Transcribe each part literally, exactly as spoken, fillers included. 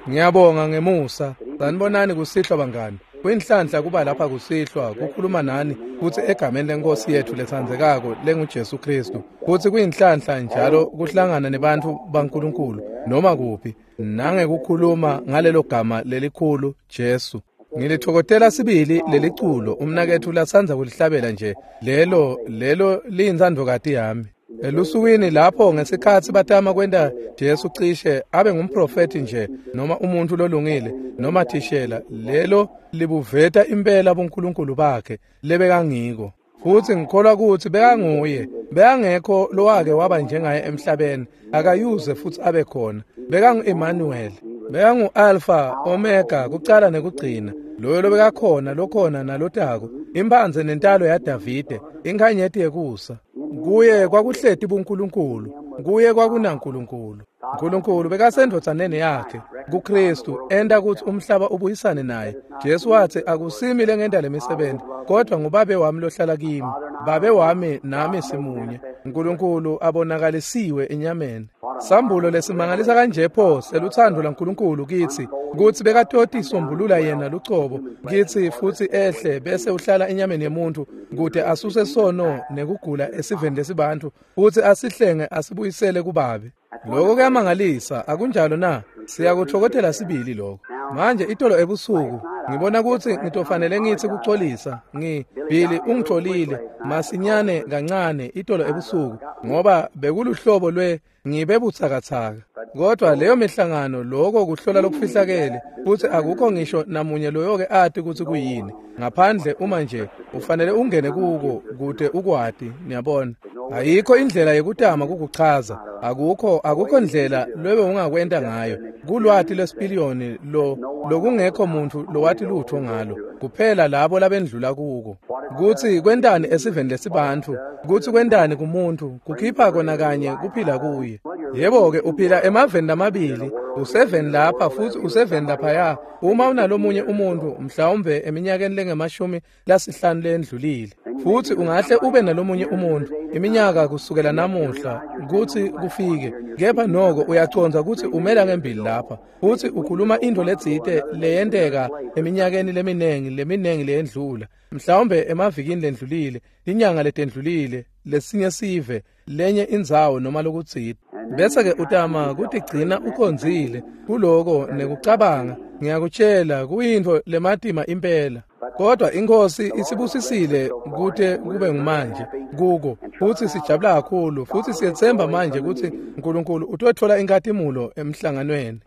Ngiyabonga ngemusa. Sanibonani kusihlwa bangani. Kuyinhlanhla kuba lapha kusihlwa kukhuluma nani kutsi egameni lenkosi yethu letsandzekako lenguJesu Kristu. Kutsi kuyinhlanhla njalo kuhlangana nebantfu baNkulunkulu noma kuphi nangekukhuluma ngalelo gama lelikhulu Jesu. Ngilithokozela sibili leliculo umnaketfu lasandza kulihlabela nje lelo lelo liyintsandvokati yami. Elusukwini lapho ngesikhatsi batama kwenta Jesu cishe abe ngumprofethi nje noma umuntu lolungile noma thishela lelo libuveta impela buNkulunkulu bakhe lebekangiko. Futsi ngikholwa kutsi bekanguye bekangekho lowake waba njengaye emhlabeni akayuze futsi abe khona. Bekangu-Emmanuel, bekangu-Alpha Omega, kucala nekugcina, loyo lobekakhona lokhona nalotako, imphandze nentalo yaDavide, inkhanyeti yekusa. Kuye kwakuhleti buNkulunkulu, kuye kwakunaNkulunkulu. Nkulunkulu bekasendvodzaneni yakhe kuKristu enta kutsi umhlaba ubuyisane naye. Jesu watsi akusimi lengenta lemisebenti kodwa ngubabe wami lohlala kimi. Babe wami nami simunye. Nkulunkulu abonakalisiwe enyameni. Sambulo lesimangalisa kanje pho selutsandvo lwaNkulunkulu kitsi kutsi bekatoti sombulula yena lucobo kitsi futsi ehle bese uhlala enyameni yemuntu kute asuse sono nekugula esiveni lesibantfu futsi asihlenge asibuyisele kubabe. Lokho kuyamangalisa akunjalo na? Siyakuthokozela sibili lokho. Manje itolo ebusuku ngibona kutsi ngitofanele ngitsi kuxolisa ngi Billy ungitholile masinyane kancane itolo ebusuku ngoba bekuluhlobo lwe ngibe butsakatsaka. Kodwa leyo mihlangano lokho kuhlola lokufihlakele futsi akukho ngisho namunye loyoke ati kutsi kuyini ngaphandle uma nje ufanele ungene kuko kute ukwati. Niyabona ayikho indlela yekutama kukuchaza, akukho akukho ndlela lwebe ungakwenta ngayo. Kulwati lwesipiliyoni lo lokungekho muntu lowati lutho ngalo kuphela labo labendlula kuko. Kutsi kwentani esiveni lesibantfu, kutsi kwentani kumuntu, kukhipha kona kanye kuphila kuye. Yebo-ke uphila emaveni lamabili, useveni lapha futsi useveni laphaya. Uma unalomunye umuntu mhlawumbe eminyakeni lengemashumi lasihlanu lendlulile, futsi ungahle ube nalomunye umuntu iminyaka kusukela namuhla kutsi kufike, kepha noko uyacondza kutsi umela ngembili lapha futsi ukhuluma intfo letsite leyenteka eminyakeni leminengi leminengi leyendlula, mhlawumbe emavikini lendlulile, inyanga letendlulile, lesinye sive, lenye indzawo noma lokutsite. Bese-ke utama kutigcina ucondzile kuloko nekucabanga. Ngiyakutshela kuyintfo lematima impela. Kodwa inkosi isibusisile kute kube ngumanje kuko futsi sijabula kakhulu futsi siyetsemba manje kutsi Nkulunkulu utotfola inkhatimulo emhlanganweni.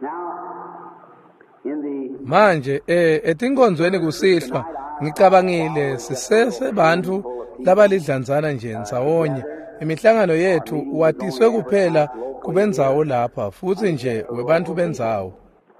Manje eh etinkonzweni kusihlwa ngicabangile sisesebantfu labalidlanzana nje ndzawonye. Imihlangano yethu watiswe kuphela kubendzawo lapha futsi nje webantfu bendzawo.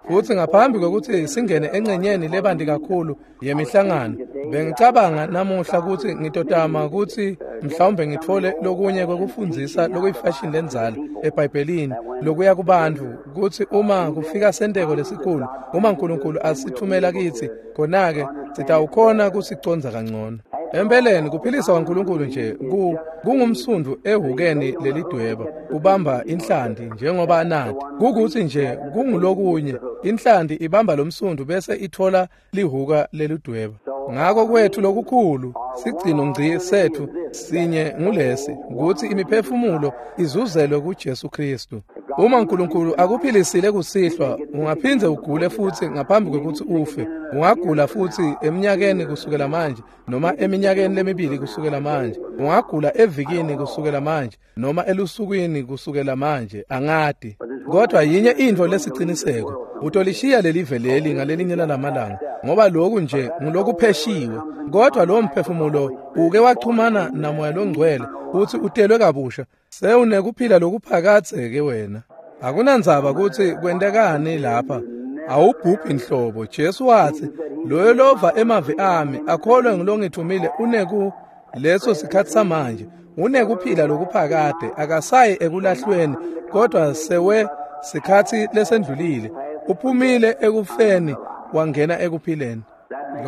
Futsi ngaphambi kwekutsi singene engcenyeni lebanti kakhulu yemihlangano, bengicabanga namuhla kutsi ngitotama kutsi mhlawumbe ngitfole lokunye kwekufundzisa lokuyifashini lendzala eBhayibhelini lokuya kubantfu kutsi uma kufika senteko lesikhulu, uma Nkulunkulu asithumela kitsi, khona-ke sitawukhona kusicondza kangcono. Empeleni kuphilisa kwaNkulunkulu nje ku kungumsundvu ehukeni lelidweba ubamba inhlanti njengoba anati kukutsi nje kungulokunye inhlanti ibamba lomsundvu bese ithola lihuka lelidweba. Ngako kwethu lokukhulu sigcino ngci sethu sinye ngulesi kutsi imiphefumulo izuzelwe kuJesu Kristu. Uma Nkulunkulu akuphilisile kusihlwa ungaphindze ugule futsi ngaphambi kwekutsi ufe. Ungagula futsi eminyakeni kusukela manje noma eminyakeni lemibili kusukela manje. Ungagula evikini kusukela manje noma elusukwini kusukela manje, angati. Kodwa yinye intfo lesiciniseko, utolishiya lelive leli ngalelinye lalamalanga ngoba lokhu nje ngulokupheshiwe. Kodwa lo mphefumulo uke wachumana namoya longcwele futsi utelwe kabusha, sewunekuphila lokuphakadze-ke wena. Akunandzaba kutsi kwentekani lapha, awubhubhi nhlobo. Jesu watsi loyo lova emavi ami akholwe ngulongithumile uneku leso sikhatsi samanje unekuphila lokuphakade, akasayi ekulahlweni kodwa sewe sikhatsi lesendlulile, uphumile ekufeni wangena ekuphileni.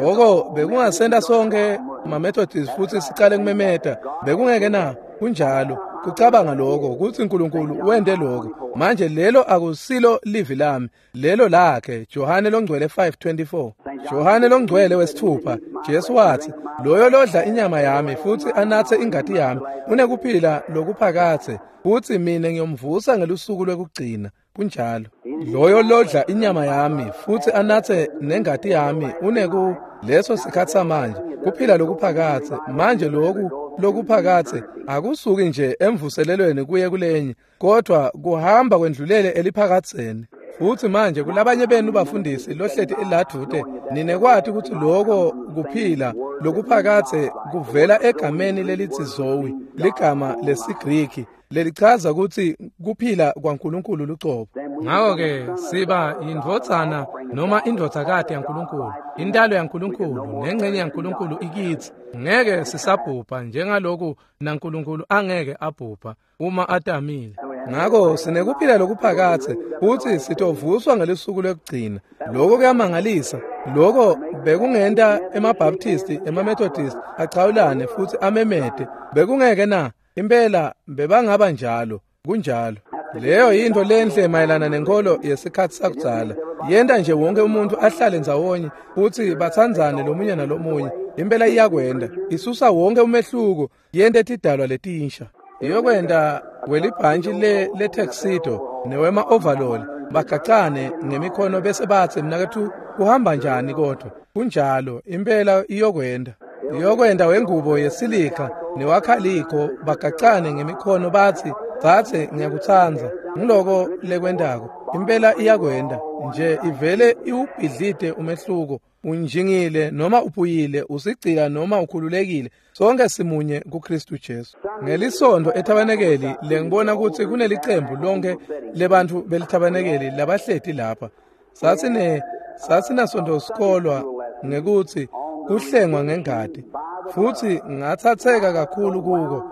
Lokho bekungasenta sonke maMethodist futsi sicale kumemeta, bekungeke na? Kunjalo. Kucabanga lokho kutsi uNkulunkulu wente lokho. Manje lelo akusilo livi lami, lelo lakhe. Johane longcwele five twenty-four. Johane longcwele wesithupha, Jesu watsi, loyo lodla inyama yami futsi anatse ingati yami unekuphila lokuphakadze, futsi mina ngiyomvusa ngelusuku lwekugcina. Kunjalo. Loyo lodla inyama yami futsi anatse nengati yami uneku leso sikhatsi samanje kuphila lokuphakadze. Manje loku lokuphakadze akusuki nje emvuselelweni kuye kulenye, kodwa kuhamba kwendlulele eliphakadzeni. Futsi manje kulabanye benu bafundisi lohleti eladvute, ninekwati kutsi loko kuphila lokuphakadze kuvela egameni lelitsi Zoe, ligama lesiGriki lelichaza kutsi kuphila kwaNkulunkulu lucobo. Ngako-ke siba yindvodzana noma indvodzakati yaNkulunkulu, intalo yaNkulunkulu nengcenye yaNkulunkulu ikitsi. Ngeke sisabhubha njengaloku naNkulunkulu angeke abhubha uma atamile. Ngako sinekuphila lokuphakadze futsi sitovuswa ngelusuku lwekugcina. Lokho kuyamangalisa. Lokho bekungenta emaBaptisti, emaMethodist achawulane futsi amemete. Bekungeke na? Impela bebangaba njalo. Kunjalo. Leyo yinto lenhle mayelana nenkolo yesikhatsi sakudzala. Yenta nje wonke umuntu ahlale ndzawonye futsi batsandzane lomunye nalomunye. Impela iyakwenda. Isusa wonke umehluko, yente tidalwa letinsha. Iyokwenda welibhantshi le letuxedo newema overall bagacane ngemikhono bese batsi, mnaketfu kuhamba njani? Kodwa kunjalo, impela iyokwenda. Iyokwenda wengubo yesilika newakhalikho bagacane ngemikhono batsi, dzadze ngiyakutsandza. Ngiloko lekwendako. Impela iyakwenda nje, ivele iwubhidlite umehluko. Unjingile noma uphuyile, usigcila noma ukhululekile, sonke simunye kuKristu Jesu. Ngelisonto ethabanekeli lengibona kutsi kunelicembu lonke lebantfu belithabanekeli labahleti lapha. Sasine sasinasonto sikolwa ngekutsi kuhlengwa ngengati, futsi ngatsatseka kakhulu kuko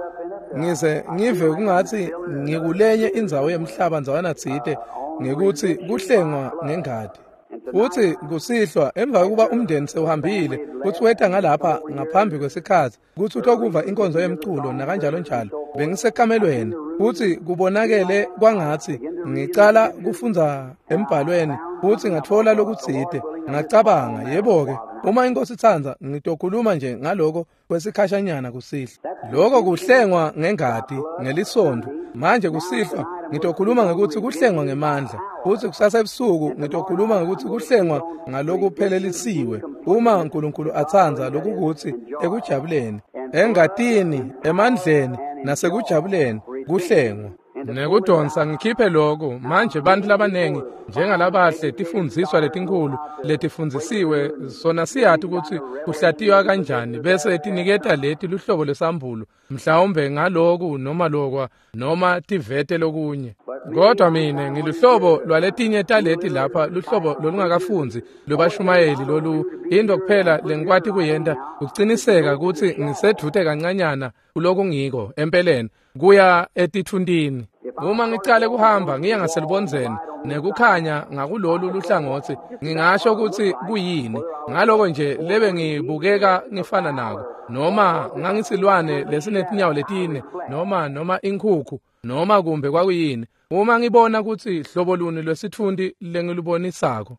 ngize ngive kungatsi ngikulenye indzawo yemhlaba ndzawana tsite ngekutsi kuhlengwa ngengati. Futsi kusihlwa emva kokuba umndeni sewuhambile kutsi weta ngalapha ngaphambi kwesikhatsi kutsi utokuva inkonzo yemculo nakanjalo njalo, bengisekamelweni futsi kubonakele kwangatsi ngicala kufundza embhalweni futsi ngatfola lokutsite. Ngacabanga, yebo-ke, uma inkosi itsandza ngitokhuluma nje ngaloko kwesikhashanyana kusihlwa. Loko kuhlengwa ngengati ngelisonto. Manje kusihlwa ngitokhuluma ngekutsi kuhlengwa ngemandla, futsi kusasa ebusuku ngitokhuluma ngekutsi kuhlengwa ngalokuphelelisiwe, uma uNkulunkulu atsandza, lokukutsi ekujabuleni, engatini, emandleni nasekujabuleni kuhlengwa. Nekudonsa ngikhiphe lokho manje. Bantu labanengi njengalabahle tifundziswa letinkhulu letifundzisiwe sona siyati kutsi kuhlatiywa kanjani, bese tiniketa leti luhlobo lwesambulo mhlawumbe ngaloku noma lokwa noma tivete lokunye. Kodwa mine ngiluhlobo lwaletinye taleti lapha, luhlobo lolungakafundzi lobashumayeli lolu. Into kuphela lengikwati kuyenta ukuciniseka kutsi ngisedvute kancanyana kuloku ngiko empeleni kuya etithuntini. Uma ngicale kuhamba ngiya ngaselubondzeni nekukhanya ngakulolu luhlangotsi, ngingasho kutsi kuyini ngaloko nje lebe ngibukeka ngifana nako, noma ngangisilwane lesinetinyawo letine noma noma inkhukhu noma kumbe kwakuyini, uma ngibona kutsi hlobo luni lwesitfunti lengilubonisako.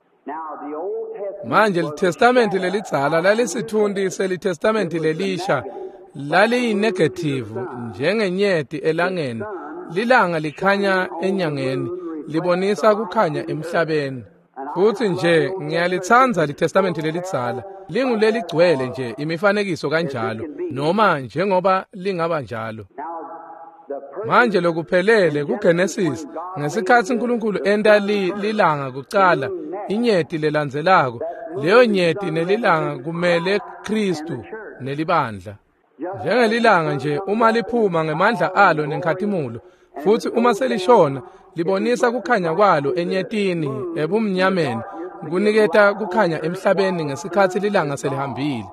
Manje liTestamenti lelidzala lalisitfunti seliTestamenti lelisha, laliyinegative njengenyeti elangeni. Lilanga likhanya enyangeni, libonisa kukhanya emhlabeni. Futsi nje ngiyalitsandza liTestamenti lelidzala, linguleligcwele nje imifanekiso kanjalo, noma njengoba lingaba njalo. Manje lokuphelele kuGenesis, ngesikhatsi uNkulunkulu enta li, lilanga kucala, inyeti lelandzelako, leyo nyeti nelilanga kumele Kristu nelibandla. Njengelilanga nje uma liphuma ngemandla alo nenkhatimulo, futsi uma selishona libonisa kukhanya kwalo enyetini ebumnyameni, kuniketa kukhanya emhlabeni ngesikhatsi lilanga selihambile.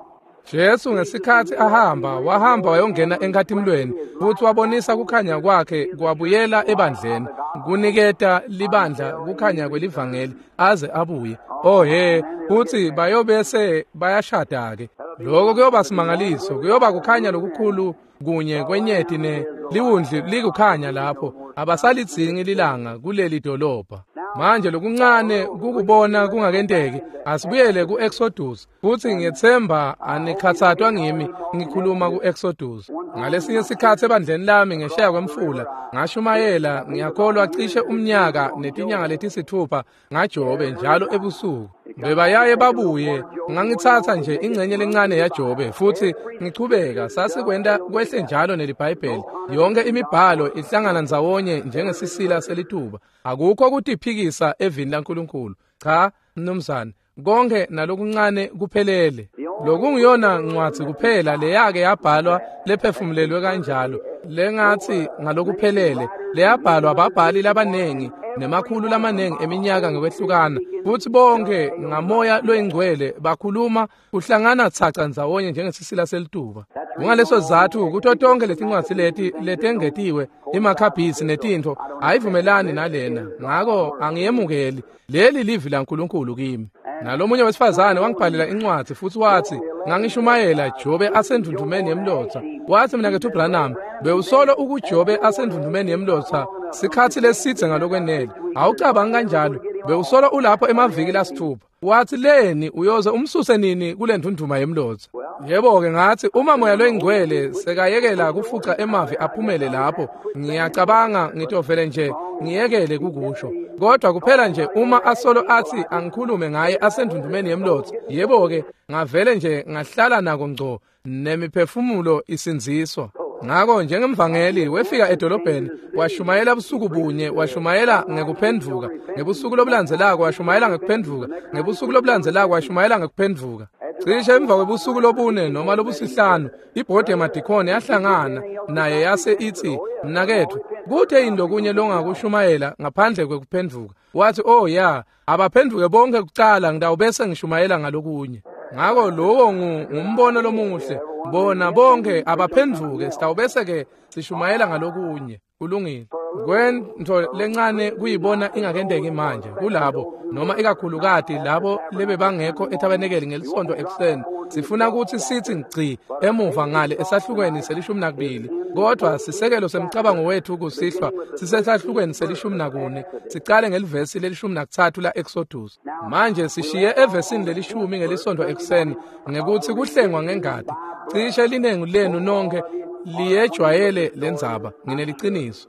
Jesu ngesikhatsi ahamba, wahamba wayongena enkhatimulweni futsi wabonisa kukhanya kwakhe kwabuyela ebandleni, kuniketa libandla kukhanya kwelivangeli aze abuye. Oh he, futsi bayobese bayashada-ke. Lokho kuyoba simangaliso, kuyoba kukhanya lokukhulu kunye kwenyeti ne liwundli likukhanya lapho abasalidzingi lilanga kuleli dolobha. Manje lokuncane kukubona kungakenteki. Asibuyele ku-Exodus futhi ngiyethemba anikhathazwa ngimi ngikhuluma ku-Exodus. Ngalesinye isikhathi ebandleni lami ngesheya kwemfula ngashumayela ngiyakholwa cishe umnyaka netinyanga letisithupha ngaJobe njalo ebusuku. Bebayaye babuye ngangithatha nje ingcenye lencane yaJobe futhi ngichubeka sasikwenta kwehle njalo neliBhayibheli. Yonke imibhalo ihlangana ndzawonye njengesisila selituba. Akukho kutiphikisa evini laNkulunkulu. Cha mnumzane, konke nalokuncane kuphelele. Lokungiyona ncwadzi kuphela leyake yabhalwa lephefumulelwe kanjalo lengathi ngalokuphelele leyabhalwa ababhali labanengi nemakhulu lamanengi eminyaka ngekwehlukana futhi bonke ngamoya loyingcwele bakhuluma kuhlangana tsaca ndzawonye njengesisila selituba. Kungaleso sizatfu kuto tonke letincwadzi leti letengetiwe imakhabhisi netintfo ayivumelani nalena, ngako angiyemukeli. Leli livi laNkulunkulu kimi. Nalomunye wesifazane wangibhalela incwadzi futhi wathi ngangishumayela Jobe asendvundvumeni yemlotsa. Wathi mina kethu Branham bewusolo ukuJobe asendvundvumeni yemlotsa sikhathi lesidze ngalokwenele. Awucabangi kanjalo, bewusolo ulapho emaviki lasithupha. Wathi leni uyoze umsuse nini kule ndvundvuma yemlotsa? Yebo-ke ngathi uma moya loyingcwele sekayekela kufuca emavi aphumele lapho ngiyacabanga ngitovele nje ngiyekele kukusho. Kodwa kuphela nje uma asolo athi angikhulume ngaye asendvundvumeni yemlotsa, yebo-ke ngavele nje ngahlala nako ngco nemiphefumulo isindziswa. Ngako njengemvangeli wefika edolobheni washumayela busuku bunye, washumayela ngekuphendvuka, ngebusuku lobulandzelako washumayela ngekuphendvuka, ngebusuku lobulandzelako washumayela ngekuphendvuka. Cishe emva kwebusuku lobune noma lobusihlanu ibhodi yamadikhoni yahlangana naye yase ithi mnakethu kuthe yini lokunye longakushumayela ngaphandle kwekuphendvuka? Wathi oh ya, abaphenduke bonke kucala ngitawubese ngishumayela ngalokunye. Ngako lowo ngumbono lomuhle, bona bonke abaphenduke sitawubese ke sishumayela ngalokunye. Kulungile. Kwento lencane kuyibona ingakenteki manje kulabo noma ikakhulukati labo lebebangekho etabenekeli ngelisonto ekuseni. Sifuna ukuthi sithi ngci emuva ngale esahlukweni selishumi nakubili, kodwa sisekelo semcabango wethu kusihlwa sisesahlukweni selishumi nakune. Sicale ngelivesi lelishumi nakutsatfu la Exodus. Manje sishiye evesini lelishumi ngelisonto ekuseni ngekuthi kuhlengwa ngengati. Cishe linengi lenu nonke liyejwayele lendzaba, ngineliciniso.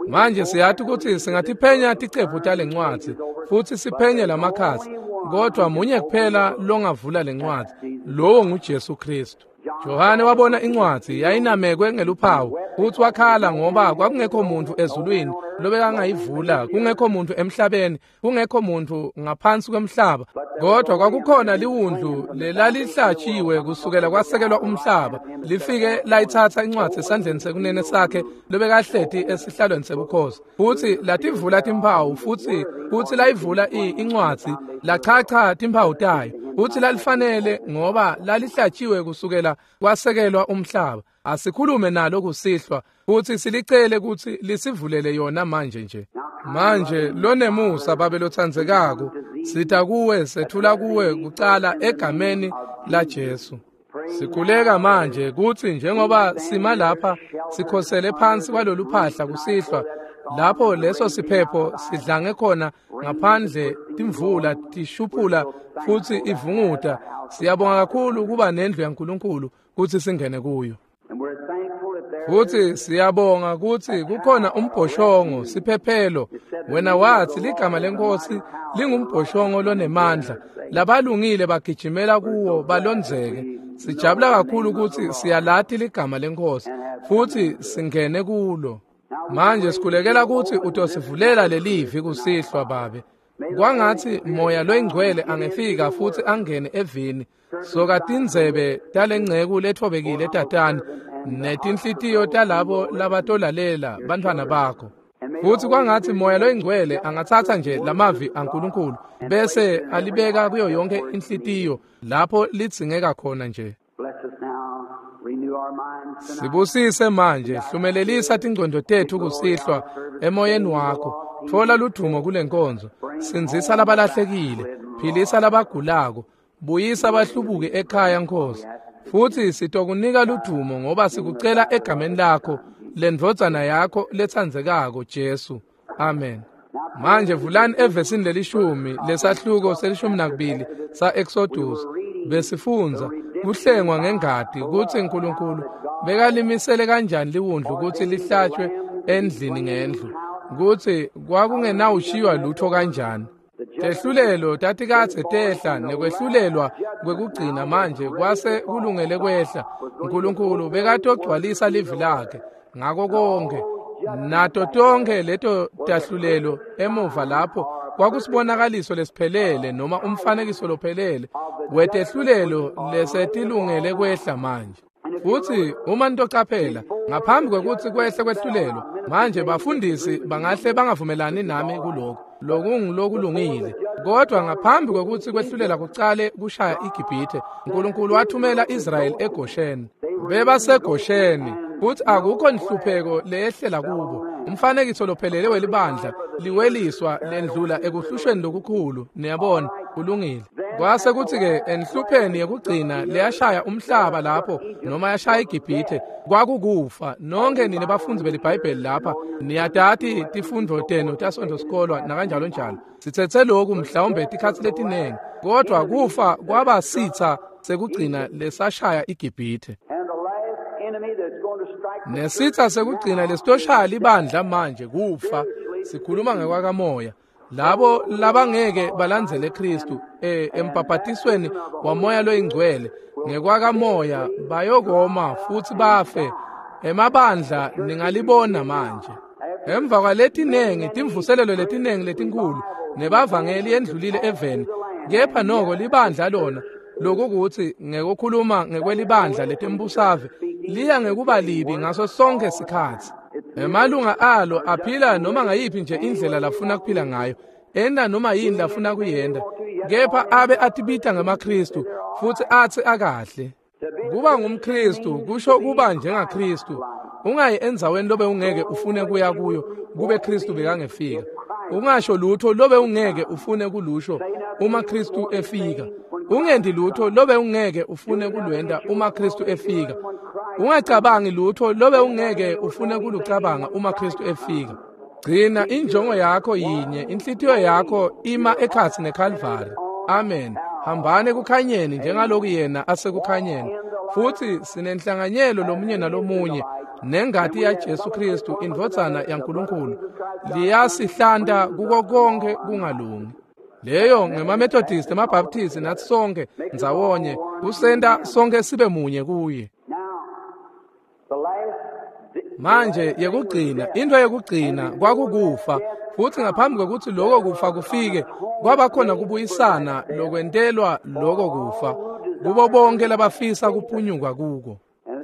Manje siyathi ukuthi singathiphenya ticephu talencwadzi futhi siphenye lamakhasi, kodwa munye kuphela longavula lencwadzi, lowo nguJesu Kristu. Johane wabona incwadzi yayinamekwe ngeluphawu futhi wakhala ngoba kwakungekho muntu ezulwini lobekangayivula, kungekho muntu emhlabeni, kungekho muntu ngaphansi kwemhlaba, kodwa kwakukhona liwundlu lelalihlatshiwe kusukela kwasekelwa umhlaba lifike layithatha incwadzi esandleni sekunene sakhe lobekahleti esihlalweni sebukhosi futhi lativula timphawu futhi futhi layivula incwadzi lachacha timphawu tayo futhi lalifanele ngoba lalihlatshiwe kusukela kwasekelwa umhlaba. Asikhulume nalo kusihlwa futhi silicele ukuthi lisivulele yona manje nje. Manje lonemusa babe lotsandzekako, sita kuwe sethula kuwe kucala egameni la Jesu. Sikhuleka manje kuthi njengoba sima lapha sikhosele phansi kwalolu phahla kusihlwa lapho leso siphepho sidlange khona ngaphandle timvula tishuphula futhi ivunguta. Siyabonga kakhulu kuba nendlu yaNkulunkulu kuthi singene kuyo. Futhi siyabonga ukuthi kukhona umbhoshongo siphephelo. Wena wathi ligama lenkosi lingumbhoshongo lonemandla, labalungile bagijimela kuwo balondzeke. Sijabula kakhulu ukuthi siyalati ligama lenkosi futhi singene kulo. Manje sikhulekela ukuthi utosivulela lelivi kusihlwa babe. Kwangathi moya loyingcwele angefika futhi angene evini soka tindzebe talengceku lethobekile tatani netinhlitiyo talabo labatolalela bantfwana bakho. Futhi kwangathi moya loyingcwele angathatha nje lamavi aNkulunkulu bese alibeka kuyo yonke inhlitiyo lapho lidzingeka khona nje. Sibusise manje, hlumelelisa tingcondo tethu kusihlwa emoyeni wakho. Thola ludumo kule nkonzo, sindzisa labalahlekile, philisa labagulako, buyisa abahlubuki ekhaya Nkosi. Futsi sitokunika ludumo ngoba sikucela egameni lakho, lendvodzana yakho letsandzekako Jesu. Amen. Manje vulani evesini lelishumi lesahluko selishumi nakubili sa-Exodus. Besifundza kuhlengwa ngengati kutsi Nkulunkulu bekalimisele kanjani liwundlu kutsi lihlatshwe endlini ngendlu, kutsi kwakungenawushiywa lutho kanjani. Tehlulelo tatikadze tehla nekwehlulelwa kwekugcina manje kwase kulungele kwehla. Nkulunkulu bekatogcwalisa livi lakhe ngako konke. Nato tonke leto tahlulelo emuva lapho kwakusibonakaliso lesiphelele noma umfanekiso lophelele wetehlulelo lesetilungele kwehla manje. Futsi uma nitocaphela ngaphambi kwekutsi kwehle kwehlulelo, manje bafundisi bangahle bangavumelani nami kuloko, lokungulokulungile. Kodwa ngaphambi kwekutsi kwehlulela kucale kushaya iGibhithe, Nkulunkulu wathumela Israyeli eGosheni. BebaseGosheni futsi akukho nhlupheko leyehlela kubo. Umfanekiso lophelele welibandla liweliswa lendlula ekuhlushweni lokukhulu. Niyabona, kulungile. Kwase kutsi-ke enhlupheni yekugcina leyashaya umhlaba lapho noma yashaya iGibhithe kwakukufa. Nonke nine bafundzi beliBhayibheli lapha niyatati tifundvo tenu taSontfo sikolwa nakanjalo njalo. Sitsetse loku mhlawumbe tikhatsi letinengi, kodwa kufa kwaba sitsa sekugcina lesashaya iGibhithe. Nesitsa sekugcina lesitoshaya libandla manje kufa. Sikhuluma ngekwakamoya. Labo labangeke balandzele Kristu eh empaphatisweni wamoya loyingcwele ngekwakamoya bayokoma futsi bafe. Emabandla ningalibona manje. Emva kwaletinengi timvuselelo letinengi letinkhulu nebavangeli endlulile eveni, kepha noko libandla lona lokukuthi ngekukhuluma ngekwelibandla letembusave liya ngekuba libi ngaso sonke sikhatsi. Emalunga alo aphila noma ngayiphi nje indlela lafuna kuphila ngayo, enda noma yini lafuna kuyenda, kepha abe atibita ngemaKristu futsi atsi akahle. Kuba ngumKristu kusho kuba njengaKristu. Ungayi endzaweni lobe ungeke ufune kuya kuyo kube Kristu bekangefika. Ungasho lutho lobe ungeke ufune kulusho uma Kristu efika. Ungendi lutho lobe ungeke ufune kulwenda uma Kristu efika. Ungacabangi lutho lobe ungeke ufune kulucabanga uma Kristu efika. Gcina injongo yakho yinye, inhlitiyo yakho ima ekhatsi neKalvari. Amen. Hambani ekukhanyeni njengaloku yena asekukhanyeni. Futsi sinenhlanganyelo lomunye nalomunye nengati yaJesu Kristu indvodzana yaNkulunkulu liyasihlanta kuko konke kungalungi. Leyo ngemaMethodist, emaBaptist nathi sonke ndzawonye kusenta sonke sibe munye kuye. Manje yekugcina, into yekugcina kwakukufa. Futsi ngaphambi kwekutsi loko kufa kufike, kwaba khona kubuyisana lokwentelwa loko kufa kubo bonke labafisa kuphunyuka kuko.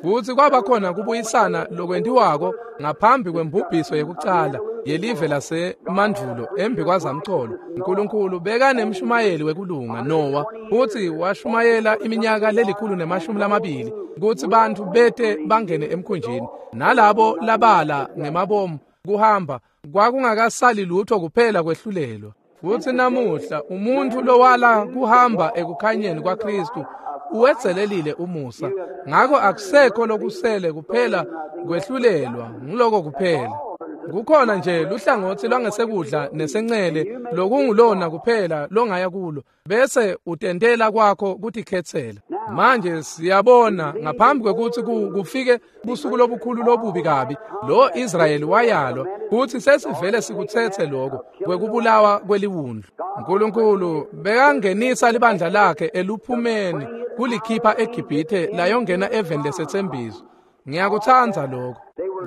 Futsi kwaba khona kubuyisana lokwentiwako ngaphambi kwembubhiso yekucala yelive lasemandvulo embi kwazamcolo. Nkulunkulu bekanemshumayeli wekulunga Noah, futsi washumayela iminyaka lelikhulu nemashumi lamabili kutsi bantfu bete bangene emkhunjini, nalabo labala ngemabomu kuhamba kwakungakasali lutho kuphela kwehlulelwa. Futsi namuhla umuntfu lowala kuhamba ekukhanyeni kwaKristu uwedzelelile umusa, ngako akusekho lokusele kuphela kwehlulelwa, ngiloko kuphela. Kukhona nje luhlangotsi lwangesekudla nesencele lokungulona kuphela longaya kulo, bese utentela kwakho kutikhetsela. Manje siyabona ngaphambi kwekutsi kufike busuku lobukhulu lobubi kabi, lo Israyeli wayalwa kutsi sesivele sikutsetse lokho kwekubulawa kweliwundlu. Nkulunkulu bekangenisa libandla lakhe eluphumeni kulikhipha eGibhithe layongena eveni lesetsembiso. Ngiyakutsandza lokho.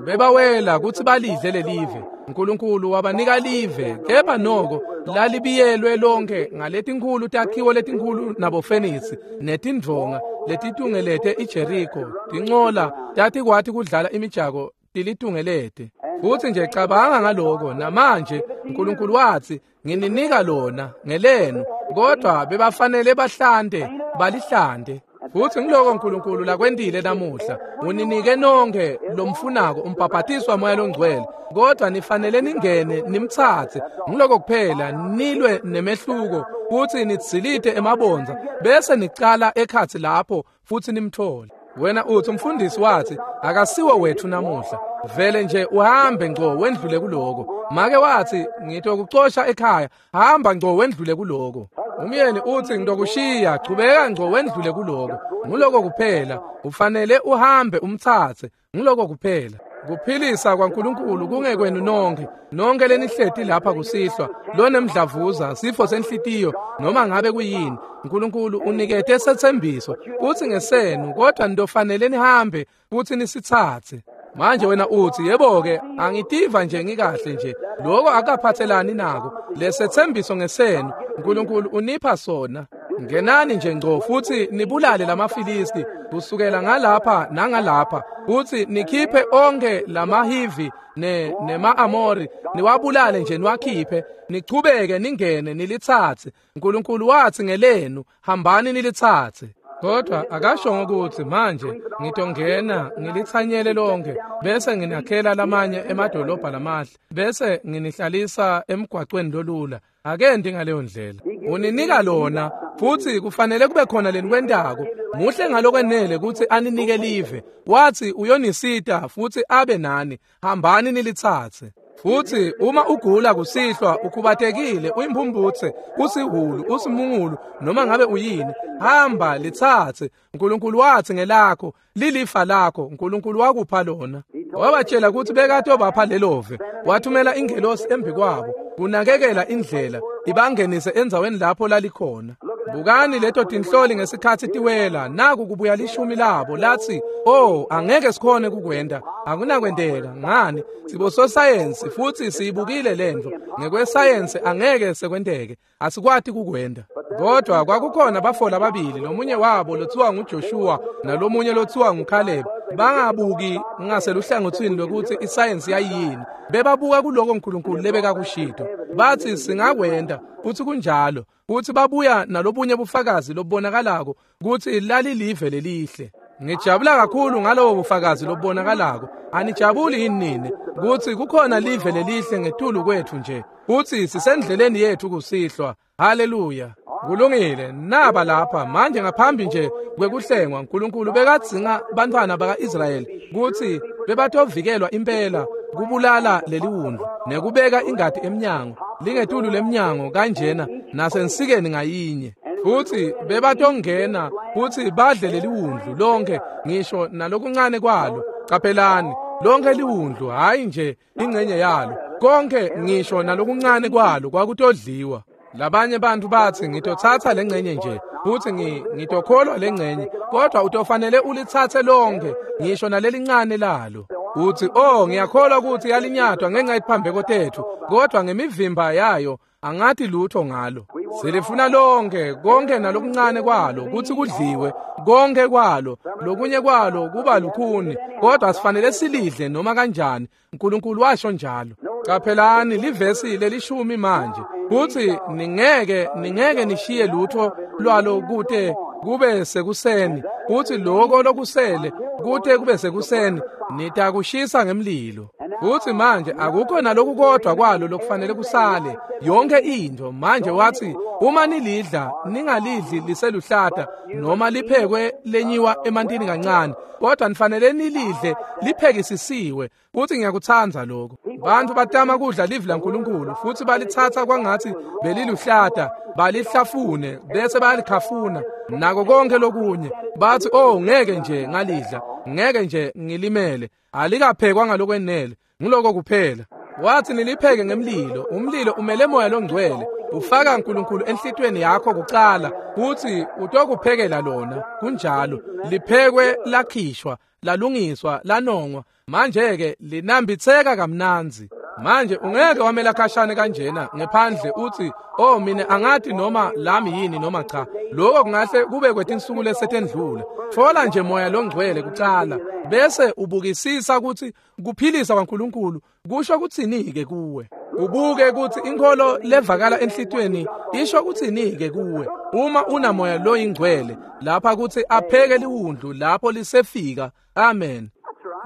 Bebawela kutsi balidle lelive. Nkulunkulu wabanika live, kepha noko lalibiyelwe lonke ngaletinkhulu takhiwo letinkhulu nabofenisi netindvonga letitungelete iJeriko. Tincola tatikwati kudlala imijako tilitungelete. Futsi nje cabanga ngaloko. Namanje Nkulunkulu watsi ngininika lona ngelenu, kodwa bebafanele bahlante balihlante. Futsi ngiloko uNkulunkulu lakwentile namuhla. Uninike nonke lomfunako umbhaphatiswa moya longcwele, kodwa nifanele ningene nimtsatse. Ngiloko kuphela nilwe nemehluko futsi nitsilite emabondza bese nicala ekhatsi lapho futsi nimthole. Wena uthi umfundisi wathi akasiwo wethu namuhla. Vele nje uhambe ngco wendlule kuloko. Make wathi ngitokucosha ekhaya, hamba ngco wendlule kuloko. Umyeni uthi ngitokushiya, chubeka ngco wendlule kuloko. Nguloko kuphela, ufanele uhambe umtsatse. Nguloko kuphela. Kuphilisa kwaNkulunkulu kungekwenu nonke, nonke lenihleti lapha kusihlwa, lonemdlavuza, sifo senhlitiyo, noma ngabe kuyini. uNkulunkulu unikete setsembiso kutsi ngesenu, kodwa nitofanele nihambe futsi nisitsatse. Manje wena uthi yebo-ke angitiva nje ngikahle nje. Lokho akaphathelani nako. Lesetsembiso ngesenu, uNkulunkulu unipha sona. Ngenani nje ngco futsi nibulale lamaFilisti kusukela ngalapha nangalapha, futsi nikhiphe onke lamaHivi ne nema-Amori, niwabulale nje niwakhiphe, nichubeke ningene nilitsatse. uNkulunkulu wathi ngelenu, hambani nilitsatse. Kodwa akasho ukuthi manje ngitongena ngilitsanyele lonke bese nginakhela lamanye emadolobha lamahle bese nginihlalisa emgwaqweni lolula. Akendi ngaleyo ndlela. Uninika lona futsi kufanele kube khona lenikwentako. Muhle ngalokwenele kutsi aninike live. Wathi uyonisita futsi abe nani. Hambani nilitsatse. Futsi uma ugula kusihlwa, ukhubatekile, uyimphumphutse, usihulu, usimungulu, noma ngabe uyini, hamba litsatse. uNkulunkulu wathi ngelakho, lilifa lakho, uNkulunkulu wakupha lona. Wabatshela ukuthi bekatobapha lelove. Wathumela ingelosi embi kwabo kunakekela indlela ibangenise endzaweni lapho lalikhona. Bukani leto tinhloli ngesikhatsi tiwela, naku kubuya lishumi labo lathi, "Oh, angeke sikhone kukwenda, akunakwenteka. Ngani? Sibososayensi futhi siyibukile lento. Ngekwesayensi angeke sekwenteke, asikwati kukwenda." Kodwa kwakukhona bafoli ababili, lomunye wabo lothiwa nguJoshua nalomunye lothiwa nguCaleb. Bangabuki ngaseluhlangothini lokuthi isayensi yayini, bebabuka kuloko uNkulunkulu lebekakushito. Bathi singakwenda, futhi kunjalo. Futhi babuya nalobunye bufakazi lobubonakalako kutsi lalilive lelihle. Ngijabula kakhulu ngalobo bufakazi lobubonakalako. Anijabuli yini nini kutsi kukhona live lelihle ngetulu kwethu nje, kutsi sisendleleni yethu kusihlwa? Haleluya. Kulungile, naba lapha manje ngaphambi nje kwekuhlengwa. uNkulunkulu bekadzinga bantwana baka-Israyeli kutsi bebatovikelwa impela kubulala leliwundlu nekubeka ingati emnyango, lingetulu lemnyango kanjena nasensikeni ngayinye. Futsi bebatongena futsi badle leliwundlu lonke, ngisho nalokuncane kwalo. Caphelani, lonke liwundlu, hhayi nje ingcenye yalo, konke ngisho nalokuncane kwalo kwakutodliwa. Labanye bantu bathi ngitotsatsa lengcenye nje futhi ngitokholwa lengcenye, kodwa utofanele ulitsatse lonke ngisho nalelincane lalo. Uthi, "Oh, ngiyakholwa ukuthi yalinyatwa ngenxa yetiphambeko tethu, kodwa ngemivimba yayo angathi lutho ngalo." Silifuna lonke, konke nalokuncane kwalo kutsi kudliwe, konke kwalo, lokunye kwalo kuba lukhuni, kodwa sifanele silidle noma kanjani. uNkulunkulu washo njalo. Caphelani livesi lelishumi manje, kutsi ningeke ningeke nishiye lutho lwalo kute kube sekuseni, kutsi loko lokusele kute kube sekuseni nitakushisa ngemlilo. Futsi manje akukho naloku kodwa kwalo lokufanele kusale, yonke into. Manje wathi uma nilidla ningalidli liseluhlata noma liphekwe lenyiwa emantini kancane, kodwa nifanele nilidle liphekisisiwe. Futhi ngiyakutsandza lokho. Bantu batama kudla livi laNkulunkulu futhi balitsatsa kwangathi beliluhlata, balihlafune bese bayalikhafuna nako konke lokunye. Bathi, "Oh, ngeke nje ngalidla, ngeke nje ngilimele, alikaphekwa ngalokwenele." Ngiloko kuphela. Wathi nilipheke ngemlilo. Umlilo umele moya longcwele, ufaka uNkulunkulu enhlitweni yakho kucala futhi utokuphekela lona. Kunjalo, liphekwe lakhishwa, lalungiswa, lanongwa. Manje-ke linambitseka kamnandzi. Manje ungeke wamela khashane kanjena ngephandle uthi, "Oh, mina angathi noma lami yini noma cha." Lokho kungahle kube kwetinsuku lesetendlula. Thola nje moya longcwele kucala bese ubukisisa ukuthi kuphilisa kwaNkulunkulu kusho kutsini-ke kuwe. Ubuke kutsi inkholo levakala enhlitiyweni isho kutsini-ke kuwe uma unamoya loyingcwele lapha kutsi apheke liwundlu lapho lisefika. Amen.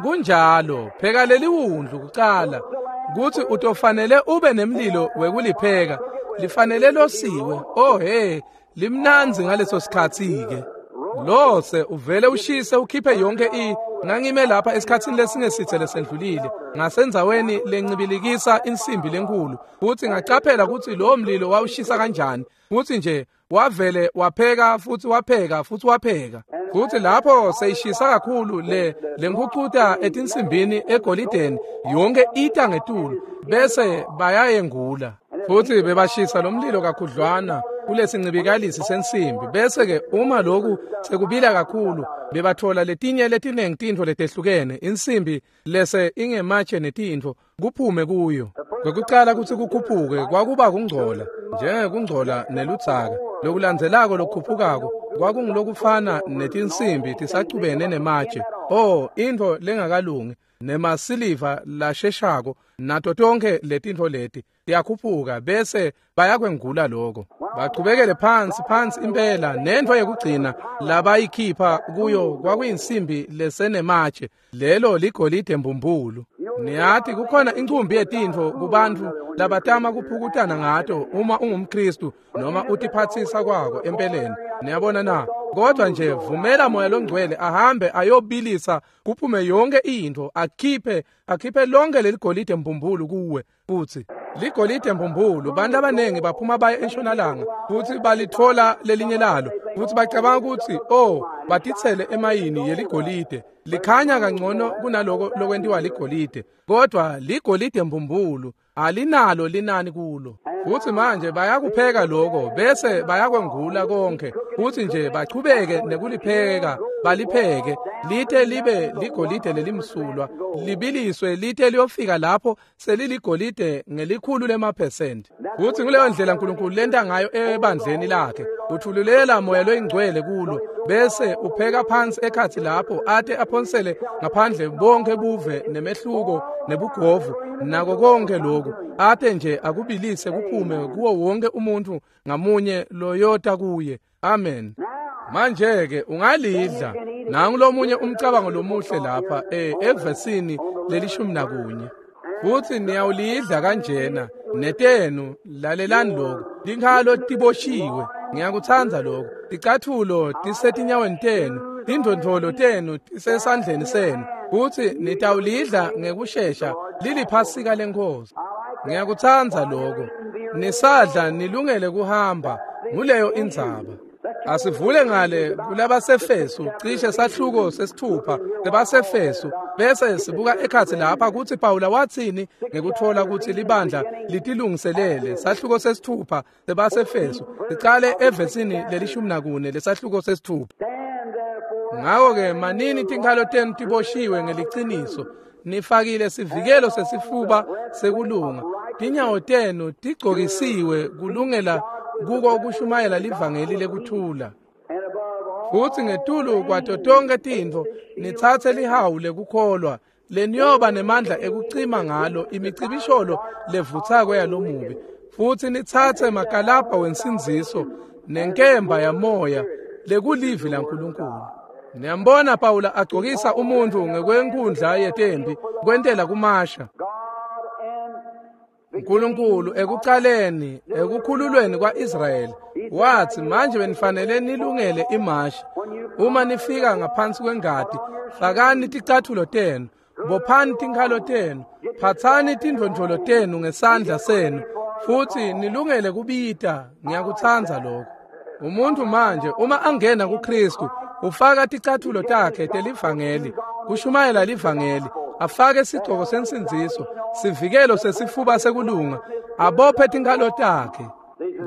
Kunjalo, pheka leliwundlu kucala kutsi utofanele ube nemlilo wekulipheka, lifanele losiwe. Oh he, limnandzi ngaleso sikhatsi-ke. Lose uvele ushise ukhiphe yonke i ngangime lapha esikhatsini lesingesithe lesendlulile ngasendzaweni lencibilikisa insimbi lenkulu, futsi ngacaphela kutsi lowo mlilo wawushisa kanjani, futsi nje wavele wapheka futsi wapheka futsi wapheka. Futsi lapho seyishisa kakhulu le lenkhucuta etinsimbini egolideni yonke ita ngetulu bese bayayengula. Futsi bebashisa lo mlilo kakhudlwana kulesincibikalisi sensimbi, bese-ke uma loku sekubila kakhulu bebathola letinye letinengi tintfo letehlukene, insimbi lese ingematshe netintfo kuphume kuyo. Kwekucala kutsi kukhuphuke kwakuba kungcola, njengekungcola neludzaka. Lokulandzelako lokukhuphukako kwakungulokufana netinsimbi tisacubene nematshe. Oh, intfo lengakalungi nemasiliva lasheshako nato tonkhe letintfo leti tiyakhuphuka bese bayakwengula lokho. Bachubekele phansi phansi impela, nentfo yekugcina labayikhipha kuyo kwakuyinsimbi lesenematshe, lelo ligolide mbumbulu. Niyati kukhona incumbi yetintfo kubantfu labatama kuphukutana ngato uma ungumKhristu noma utiphatsisa kwako empeleni. Niyabona na? Kodwa nje vumela moya longcwele ahambe ayobilisa kuphume yonke intfo, akhiphe akhiphe lonke leligolide mbumbulu kuwe. Futsi ligolide mbumbulu, bantu abanengi baphuma baye entshonalanga futsi balitfola lelinye lalo, futsi bacabanga kutsi oh batitsele emayini yeligolide, likhanya kangcono kunaloko lokwentiwa ligolide, kodwa ligolide mbumbulu alinalo linani kulo. Futsi manje bayakupheka lokho bese bayakwengula konke, futsi nje bachubeke nekulipheka balipheke lite libe ligolide lelimsulwa, libiliswe lite liyofika lapho seliligolide ngelikhulu lemaphesenti. Futsi nguleyo ndlela uNkulunkulu lenta ngayo ebandleni lakhe, uthululela moya loyingcwele kulo bese upheka phansi ekhatsi lapho ate aphonsele ngaphandle bonke buve nemehluko nebugovu nako konke lokhu, ate nje akubilise kuphume kuwo wonke umuntu ngamunye loyota kuye. Amen. Manje-ke ungalidla. Nangu lomunye umcabango lomuhle lapha eh evesini lelishumi nakunye. Futsi niyawulidla kanjena netenu, lalelani lokhu, tinkhalo tiboshiwe. Ngiyakutsandza lokhu. Ticatfulo tisetinyaweni tenu, tindvondvolo tenu tisesandleni senu, futsi nitawulidla ngekushesha liliphasika leNkhosi. Ngiyakutsandza lokho. Nisadla nilungele kuhamba, nguleyo indzaba. Asivule ngale kulabasefesu, cishe sahluko sesithupha sebasefesu, bese sibuka ekhatsi lapha kutsi Pawula watsini ngekutfola kutsi libandla litilungiselele. Sahluko sesithupha sebasefesu, sicale evesini lelishumi nakune lesahluko sesithupha. Ngako-ke manini tinkhalo tenu tiboshiwe ngeliciniso, nifakile sivikelo sesifuba sekulunga, tinyawo tenu tigcokisiwe kulungela kuko kushumayela livangeli lekuthula. Futsi ngetulu kwato tonkhe tintfo nitsatse lihawu lekukholwa leniyoba nemandla ekucima ngalo imicibisholo levutsako yalomubi, futsi nitsatse makalabha wensindziso nenkemba yamoya lekulivi laNkulunkulu. Niyambona Pawula agcokisa umuntfu ngekwenkundla yetempi kwentela kumasha. uNkulunkulu ekucaleni ekukhululweni kwa-Israyeli watsi manje benifanele nilungele imashi. Uma nifika ngaphansi kwengati, fakani ticatfulo tenu, bophani tinkhalo tenu, phatsani tindvondvolo tenu ngesandla senu, futsi nilungele kubita. Ngiyakutsandza lokho. Umuntu manje uma angena kuKristu ufaka ticatfulo takhe telivangeli, kushumayela livangeli, afake sigcoko sensindziso, sivikelo sesifuba sekulunga, abophe tinkhalo takhe.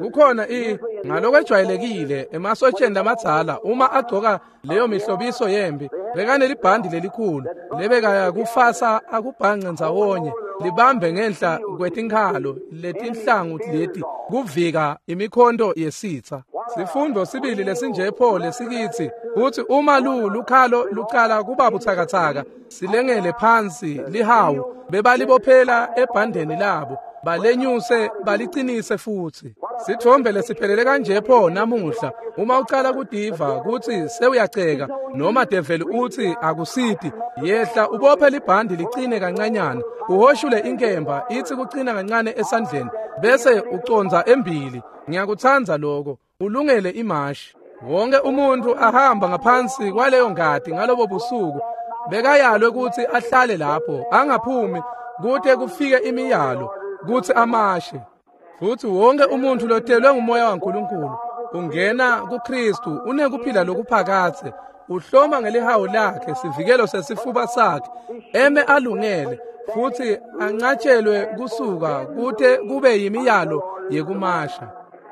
Kukhona i ngalokwejwayelekile emasotsheni lamadzala uma agcoka leyo mihlobiso yempi bekanelibhandi lelikhulu lebekaya kufasa akubhanqe ndzawonye libambe ngenhla kwetinkhalo letinhlangu leti kuvika imikhonto yesitsa. Sifundo sibili lesinjepho lesikitsi kutsi uma lu lukhalo lucala kuba butsakatsaka silengele phansi lihawu bebalibophela ebhandeni labo Balenyuse balicinise futsi. Sithombe lesiphelele kanje pho namuhla uma ucala kudiva kutsi sewuyaceka noma develi utsi akusiti, yehla ubophe libhandi licine kancanyana, uhoshule inkemba itsi kucina kancane esandleni bese uconza embili. Ngiyakutsandza lokho, ulungele imashi. Wonke umuntu ahamba ngaphansi kwaleyo ngati ngalobo busuku bekayalwe kutsi ahlale lapho angaphumi kute kufike imiyalo kutsi amashe. Futsi wonke umuntu lotelwe ngumoya waNkulunkulu ungena kuKristu unekuphila lokuphakadze, uhloma ngelihawu lakhe sivikelo sesifuba sakhe, eme alungele futsi anqatshelwe kusuka kute kube yimiyalo yekumasha.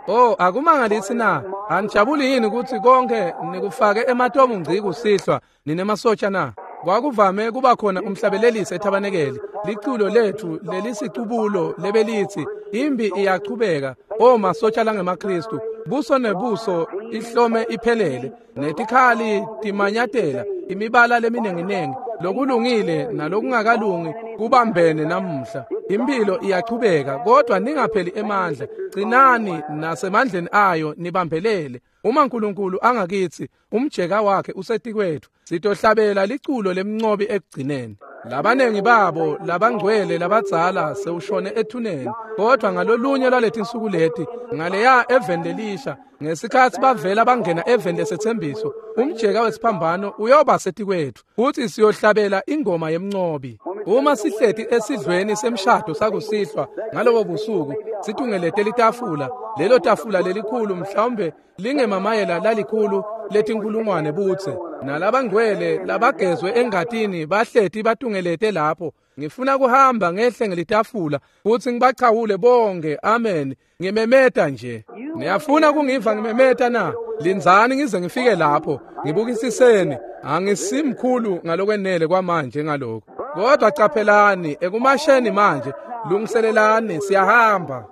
Oh, akumangalisi na? Anijabuli yini kutsi konke nikufake ematomu ngci kusihlwa ninemasotsha na? Kwakuvame kuba khona umhlabelelisi ethabanekeli, liculo lethu lelisicubulo lebelithi imbi iyachubeka, o masotsha langemaKristu, buso nebuso ihlome iphelele, netikhali timanyatela, imibala leminenginengi, lokulungile nalokungakalungi kubambene namuhla. Impilo iyachubeka, kodwa ningapheli emandla, gcinani nasemandleni ayo nibambelele. Uma uNkulunkulu angakithi, umjeka wakhe usetikwethu, sitohlabela liculo lemncobi ekugcineni. Labanengi babo labangcwele labadzala sewushone ethuneni, kodwa ngalolunye lwaletinsuku leti ngaleya eveni lelisha, ngesikhatsi bavela bangena eveni lesethembiso, umjeka wesiphambano uyoba setikwethu futsi siyohlabela ingoma yemncobi. Uma sihleti esidlweni semshado sakusihlwa ngalobo busuku, situngelete litafula, lelo tafula lelikhulu mhlawumbe lingemamayela lalikhulu letinkulungwane butse, nalabangcwele labagezwe engatini bahleti batungelete lapho. Ngifuna kuhamba ngehle ngelitafula futsi ngibachawule bonke, amen, ngimemeta nje. Niyafuna kungiva ngimemeta na? Lindzani ngize ngifike lapho, ngibukisiseni. Angisimkhulu ngalokwenele kwamanje ngalokho, kodwa caphelani ekumasheni manje, lungiselelani, siyahamba.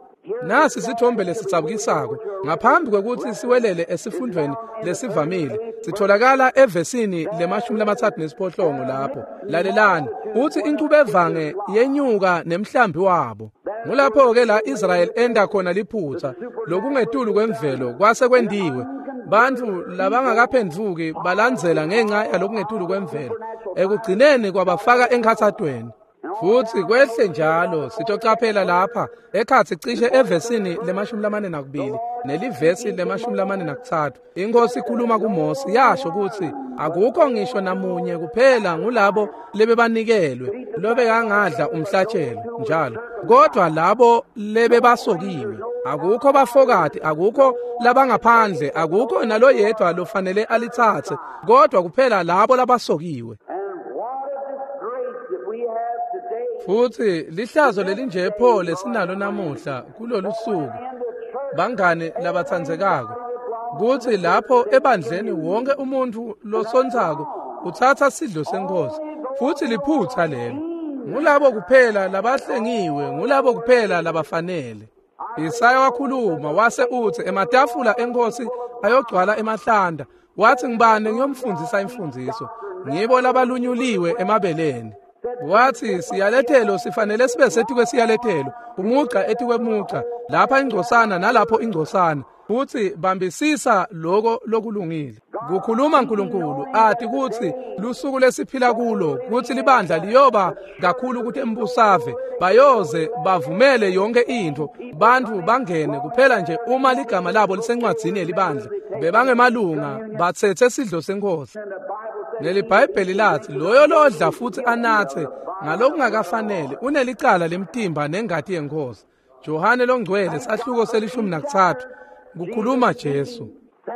Nasi sithombe lesitsabukisako ngaphambi kwekutsi siwelele esifundweni lesivamile, sitholakala evesini lemashumi lamatsatfu nesiphohlongo lapho. Lalelani, utsi inchubevange yenyuka nemhlambi wabo. Ngulapho-ke la Israyeli enda khona liphutsa lokungetulu kwemvelo kwase kwendiwe. Bantfu labangakaphendvuki balandzela ngenxa yalokungetulu kwemvelo, ekugcineni kwabafaka enkhatsatweni. Futsi kwehle njalo sitocaphela lapha ekhatsi cishe evesini lemashumi lamane nakubili nelivesi lemashumi lamane nakutsatfu. Inkosi ikhuluma kuMose yasho kutsi akukho ngisho namunye kuphela ngulabo lebebanikelwe lobekangadla umhlatshelo njalo, kodwa labo lebebasokiwe. Akukho bafokati, akukho labangaphandle, akukho naloyedwa lofanele alitsatse, kodwa kuphela labo labasokiwe. Futsi lihlazo lelinje pho lesinalo namuhla kulolu suku, bangani labatsandzekako, kutsi lapho ebandleni wonke umuntu losontsako utsatsa sidlo senkosi, futsi liphutsa lelo. Ngulabo kuphela labahlengiwe, ngulabo kuphela labafanele. Isaya wakhuluma wase utsi ematafula enkosi ayogcwala emahlanda, wathi ngibani ngiyomfundzisa imfundziso, ngibo labalunyuliwe emabeleni. Wathi siyalethelo sifanele sibe setikwe siyalethelo, umugca etikwemuca, lapha ingcosana nalapho ingcosana, futsi bambisisa loko lokulungile. Kukhuluma uNkulunkulu ati kutsi lusuku lesiphila kulo kutsi libandla liyoba kakhulu kutembusave, bayoze bavumele yonke intfo, bantfu bangene kuphela nje uma ligama labo lisencwadzini yelibandla, bebangemalunga batsetse sidlo senkosi. NeliBhayibheli lathi loyo lodla futsi anatse ngalokungakafanele unelicala lemtimba nengati yenkosi. Johane longcwele sahluko selishumi nakutsatfu, kukhuluma Jesu.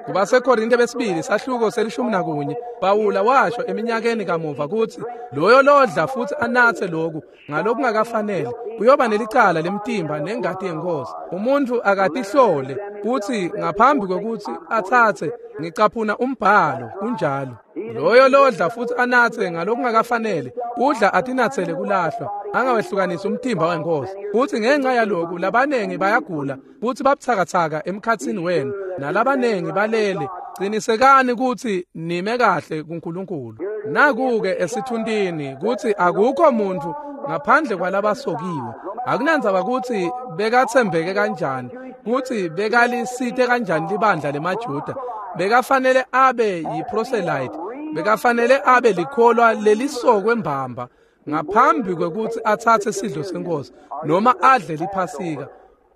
KubaseKorinte besibili sahluko selishumi nakunye, Pawula washo eminyakeni kamuva kutsi loyo lodla futsi anatse loku ngalokungakafanele uyoba nelicala lemtimba nengati yenkosi. Umuntu akatihlole kutsi ngaphambi kwekutsi atsatse, ngicaphuna umbhalo kunjalo. Loyo lodla futsi anatse ngalokungakafanele udla atinatsele kulahlwa, angawehlukanisi umtimba wenkosi. Futsi ngenxa yaloku labanengi bayagula futsi babutsakatsaka emkhatsini wenu, nalabanengi balele. Qinisekani kutsi nime kahle kuNkulunkulu. Naku-ke esithuntini kutsi akukho muntfu ngaphandle kwalabasokiwe, Akunandzaba kutsi bekatsembeke kanjani, kutsi bekalisite kanjani libandla lemaJuda, bekafanele abe yiproselyte, bekafanele abe likholwa lelisokwe mbamba ngaphambi kwekutsi atsatse sidlo senkosi noma adle liphasika.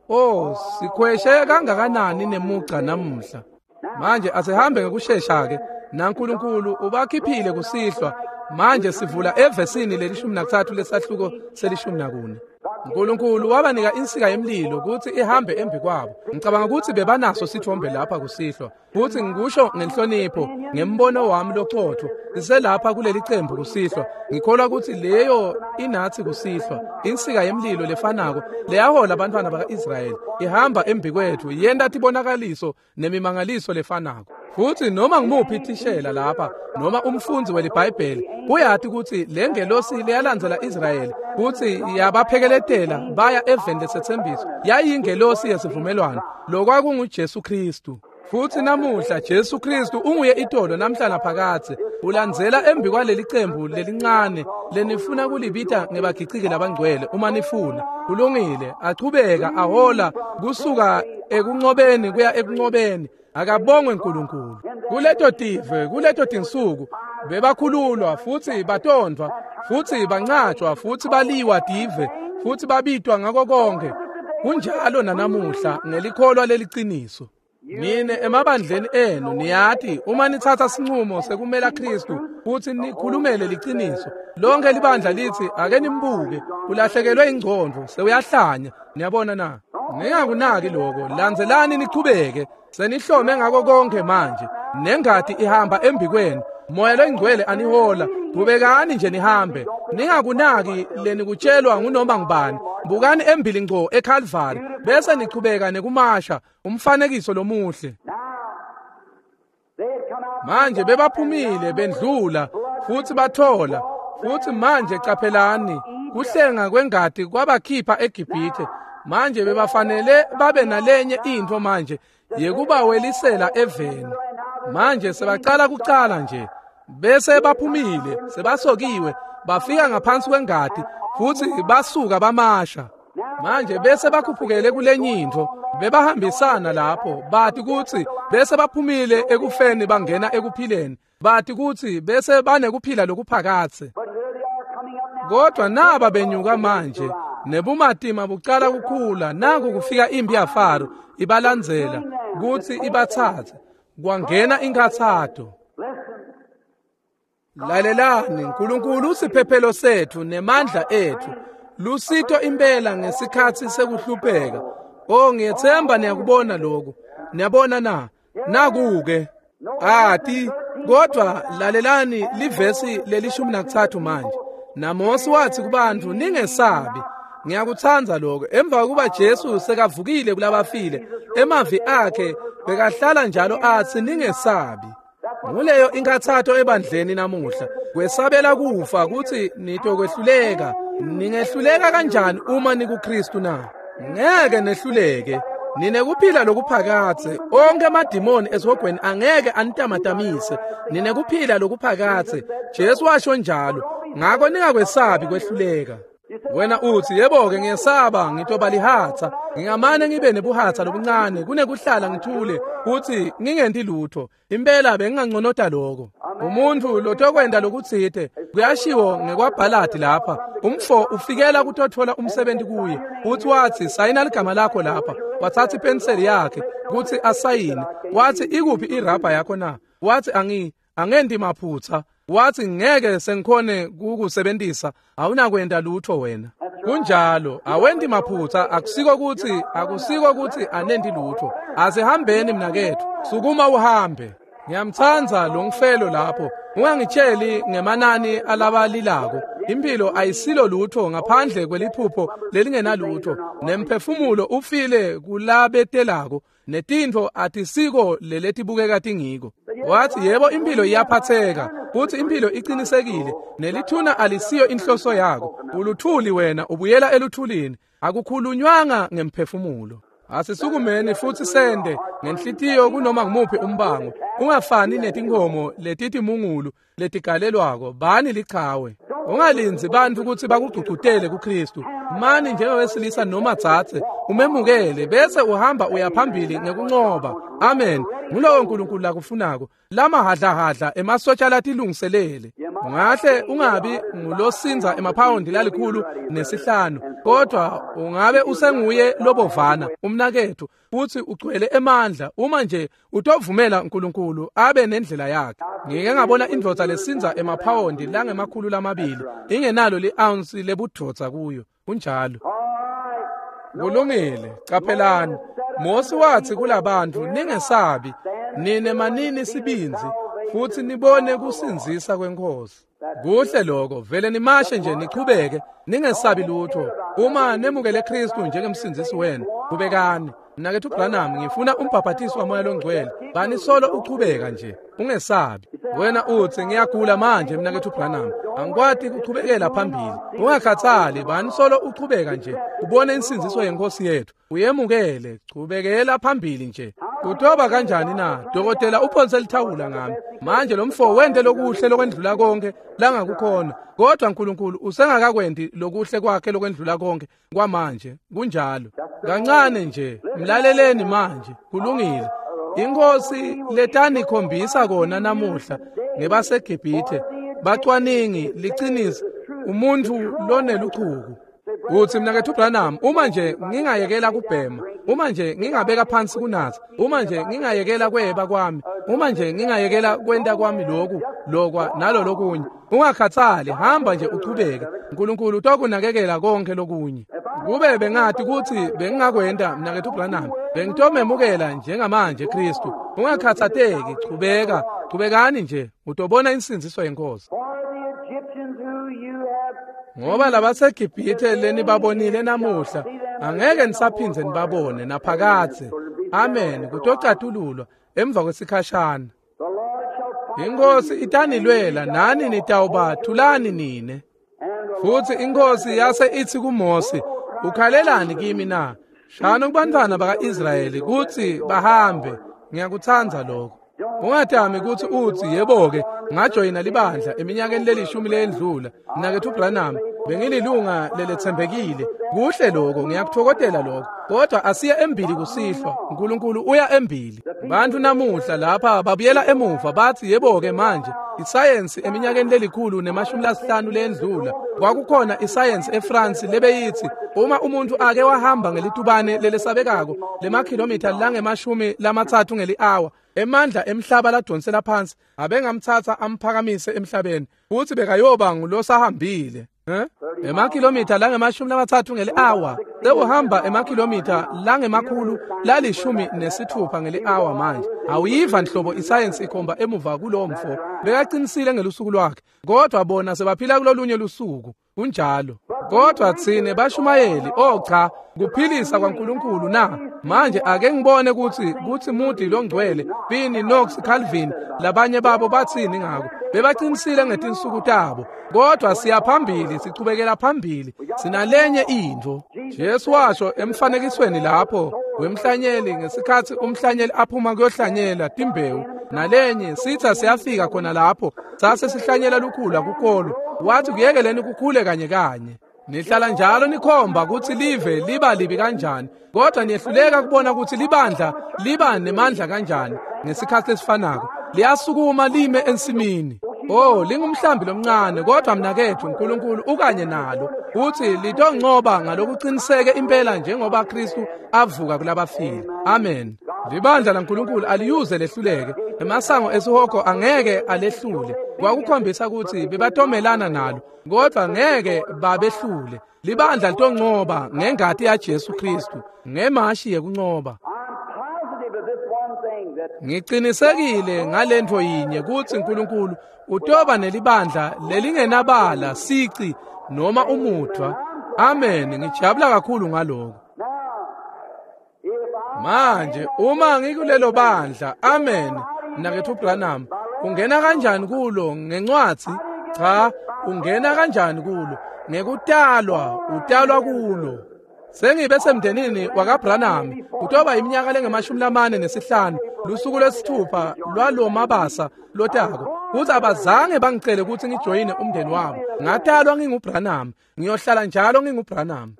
Oh, sikhweshe kangakanani nemugca namuhla. Manje asihambe ngekushesha-ke. NaNkulunkulu ubakhiphile kusihlwa. Manje sivula evesini lelishumi nakutsatfu lesahluko selishumi nakune. Nkulunkulu wabanika insika yemlilo kutsi ihambe embi kwabo. Ngicabanga kutsi bebanaso sithombe lapha kusihlwa. Futsi ngikusho ngenhlonipho, ngembono wami locotfo, siselapha kuleli cembu kusihlwa. Ngikholwa kutsi leyo inatsi kusihlwa, insika yemlilo lefanako leyahola abantwana baka-Israyeli ihamba embi kwetfu, yenta tibonakaliso nemimangaliso lefanako. Futsi noma ngimuphi thishela lapha noma umfundzi weliBhayibheli uyati kutsi lengelosi leyalandzela Israyeli kutsi yabaphekeletela baya eveni lesetsembiso yayingelosi yesivumelwano, lokwakunguJesu Khristu. Futsi namuhla Jesu Khristu unguye itolo namhla naphakadze, ulandzela embi kwaleli cembu lelincane lenifuna kulibita ngebagiciki labangcwele uma nifuna. Kulungile, achubeka ahola kusuka ekuncobeni kuya ekuncobeni. Akabongwe Nkulunkulu. Kuleto tive, kuleto tinsuku bebakhululwa futsi batondvwa futsi bancatshwa futsi baliwa tive futsi babitwa ngako konke. Kunjalo nanamuhla ngelikholwa leliciniso. Nine emabandleni enu niyati uma nitsatsa sinqumo sekumela Khristu futsi nikhulumele liciniso, lonke libandla litsi ake nimbuke, ulahlekelwe ingcondvo, sewuyahlanya. Niyabona na? Ningakunaki lokho, landzelani nichubeke. Senihlome ngako konke manje, nengati ihamba embi kwenu, Moya loyingcwele anihola. Qhubekani nje nihambe, ningakunaki lenikutshelwa ngunoma ngubani. Bukani embili ngco eCalvary bese nichubeka nekumasha umfanekiso lomuhle. Manje bebaphumile bendlula futsi bathola. Futsi manje caphelani, kuhlenga kwengati kwabakhipha eGibhithe. Manje bebafanele babe nalenye intfo manje yekubawelisela eveni. Manje sebacala kucala nje, bese baphumile, sebasokiwe, bafika ngaphansi kwengati futsi basuka bamasha. Manje bese bakhuphukele kulenye intfo, bebahambisana lapho, bati kutsi bese baphumile ekufeni bangena ekuphileni, bati kutsi bese banekuphila lokuphakadze. Kodwa naba benyuka manje, nebumatima bucala kukhula, naku kufika impi yaFaro ibalandzela kutsi ibatsatse. Kwangena inkathato. Lalelani, Nkulunkulu usiphephelo setfu nemandla etfu, lusito impela ngesikhatsi sekuhlupheka. Oh, ngiyethemba niyakubona lokhu. Niyabona na? Naku-ke ati. Kodwa lalelani livesi lelishumi nakutsatfu manje. NaMosi wathi kubantfu, ningesabi. Ngiyakutsandza lokho. Emva kokuba Jesu sekavukile kulabafile, emavi akhe bekahlala njalo atsi ningesabi. Nguleyo inkathato ebandleni namuhla, kwesabela kufa kutsi nitokwehluleka. Ningehluleka kanjani uma nikuKristu na? Ngeke nehluleke. Ninekuphila lokuphakadze. Onke amadimoni esihogweni angeke anitamatamise. Ninekuphila lokuphakadze. Jesu washo njalo. Ngako ningakwesabi kwehluleka. Wena utsi, yebo-ke ngiyesaba, ngitoba lihatsa. Ngingamane ngibe nebuhatsa lobuncane kunekuhlala ngithule kutsi ngingenti lutho. Impela benginganconota lokho. Umuntfu lotokwenta lokutsite, kuyashiwo ngekwabhaladi lapha. Umfo ufikela kutotfola umsebenzi kuye. Utsi watsi, sayina ligama lakho lapha. Watsatsa ipenseli yakhe kutsi asayine. Watsi, ikuphi irabha yakho na? Watsi, angi angenti maphutsa. Watsi, ngeke sengikhone kukusebentisa, awunakwenta lutho wena. Kunjalo, awenti maphutsa, akusiko kutsi akusiko kutsi anenti lutho. Asihambeni mnaketfu, sukuma uhambe. Ngiyamtsandza lo mfelo lapho. Ungangitsheli ngemanani alabalilako. Impilo ayisilo lutho ngaphandle kweliphupho lelingenalutho. Nemphefumulo ufile kulabetelako, netintfo atisiko leletibukeka tingiko. Wathi, yebo impilo iyaphatheka, futhi impilo iqinisekile, nelithuna alisiyo inhloso yako. Uluthuli wena, ubuyela eluthulini. Akukhulunywanga ngemphefumulo. Asisukumeni futhi sende ngenhlitiyo kunoma ngumuphi umbango. Ungafani netinkomo letitimungulu letigalelwako, bani lichawe. Ungalindzi bantfu kutsi bakugcugcutele kuKristu. Mani njengowesilisa noma dzadze, umemukele bese uhamba uya phambili ngekuncoba. Amen. Ngulowo uNkulunkulu lakufunako. Lamahadlahadla emasotsha latilungiselele. Ungahle ungabi ngulosinza emaphawundi lalikhulu nesihlanu, kodwa ungabe usenguye lobovana umnaketfu, futhi ugcwele emandla uma nje utovumela uNkulunkulu abe nendlela yakhe. Ngike ngabona indvodza lesinza emaphawundi langemakhulu lamabili ingenalo li-ounce lebudvodza kuyo. Kunjalo. Kulungile. Caphelani, Mosi wathi kulabantu, ningesabi, nine manini sibindzi futhi nibone kusindzisa kweNkosi. Kuhle lokho, vele nimashe nje nichubeke, ningesabi lutho. Uma nemukele Kristu njengemsindzisi wenu, kubekani. Mnaketfu Branham, ngifuna umbhaphathiso waMoya loNgcwele. Bani solo uchubeka nje, ungesabi. Wena utsi, ngiyagula manje mnaketfu Branham, angikwati kuchubekela phambili. Ungakhathali, bani solo uchubeka nje, ubone insindziso yeNkosi yethu, uyemukele, chubekela phambili nje. Kutoba kanjani na? Dokotela uphonse lithawula ngami. Manje lo mfo wente lokuhle lokwendlula konke langakukhona, kodwa uNkulunkulu usengakakwendi lokuhle kwakhe lokwendlula konke kwamanje. Kunjalo. Kancane nje, mlaleleni manje. Kulungile. Inkosi letanikhombisa kona namuhla ngebaseGibhithe, bacwaningi liqiniso, umuntu loneluchuku. Uthi mnaketfu Branham, uma nje ngingayekela kubhema, uma nje ngingabeka phansi kunatsa, uma nje ngingayekela kweba kwami, uma nje ngingayekela kwenta kwami lokhu, lokwa nalo lokunye. Ungakhathali, hamba nje uchubeke. uNkulunkulu utokunakekela konke lokunye. Kube bengathi kutsi bengingakwenta mnaketfu Branham, bengitomemukela njengamanje Kristu. Ungakhathateki, chubeka, chubekani nje, utobona insindziso yeNkosi. Ngoba labaseGibhithe lenibabonile namuhla, angeke nisaphindze nibabone naphakadze. Amen. Kutocatululwa emva kwesikhashana. Inkosi itanilwela nani nitawuba thulani nine. Futhi inkosi yase ithi kuMose, ukhalelani kimi na? Shano kubantwana baka-Israyeli kutsi bahambe. Ngiyakutsandza lokho. Ungatami kutsi utsi, yebo-ke, ngajoyina libandla eminyakeni lelishumi leyendlula. Mnaketfu Branham, bengililunga leletsembekile. Kuhle lokho, ngiyakuthokozela lokho. Kodwa asiye embili kusihlwa. uNkulunkulu uya embili. Bantu namuhla lapha babuyela emuva bathi, yebo-ke manje, isayensi eminyakeni lelikhulu nemashumi lasihlanu leyendlula, kwakukhona isayensi eFrance lebeyithi uma umuntu ake wahamba ngelitubane lelesabekako lemakhilomitha langemashumi lamatsatfu ngeli-hour, emandla emhlaba ladonsela phansi abengamthatha amphakamise emhlabeni, futhi bekayoba ngulosahambile. Eh? Emakhilomitha langemashumi lamatsatfu ngeli-hour, sewuhamba emakhilomitha langemakhulu lalishumi nesithupha ngeli-hour manje. Awuyiva nhlobo isayensi ikhomba emuva kulowo mfo. Bekaqinisile ngelusuku lwakhe, kodwa bona sebaphila kulolunye lusuku. Kunjalo. Kodwa tsine bashumayeli, oh cha, kuphilisa kwaNkulunkulu na? Manje ake ngibone kutsi kutsi Moody longcwele, Finney, Knox, Calvin, labanye babo batsini ngako. Bebaqinisile ngetinsuku tabo. Kodwa siya phambili, sichubekela phambili. Sinalenye intfo. Jesu washo emfanekisweni lapho wemhlanyeli, ngesikhatsi umhlanyeli aphuma kuyohlanyela timbewu, nalenye sitha siyafika khona lapho sase sihlanyela lukhula kukolo. Wathi kuyekeleni kukhule kanye kanye. Nihlala njalo nikhomba kutsi live liba libi kanjani, kodwa niyehluleka kubona kutsi libandla liba nemandla kanjani. Ngesikhatsi lesifanako liyasukuma lime ensimini. Oh, lingumhlambi lomncane, kodwa mnaketfu uNkulunkulu ukanye nalo. Uthi litoncoba ngalokuqiniseke impela njengoba Kristu avuka kulabafile. Amen. Libandla laNkulunkulu aliyuze lehluleke. Emasango esihogo angeke alehlule. Kwakukhombisa kutsi bebatomelana nalo, kodwa ngeke babehlule. Libandla litoncoba ngengati yaJesu Kristu, ngemashi yekuncoba. Ngiqinisekile ngalentfo yinye kutsi uNkulunkulu utoba nelibandla lelingenabala sici noma umudvwa. Amen. Ngijabula kakhulu ngaloko. Manje uma ngikulelo bandla, amen, mnaketfu Branham, ungena kanjani kulo? Ngencwadzi? Cha, ungena kanjani kulo? Ngekutalwa, utalwa kulo. Sengibe semndenini wakaBranham Kutoba iminyaka lengemashumi lamane nesihlanu lusuku lwesithupha lwalomabasa lotako kutsi abazange bangicele kutsi ngijoyine umndeni wabo. Ngatalwa nginguBranham, ngiyohlala njalo nginguBranham.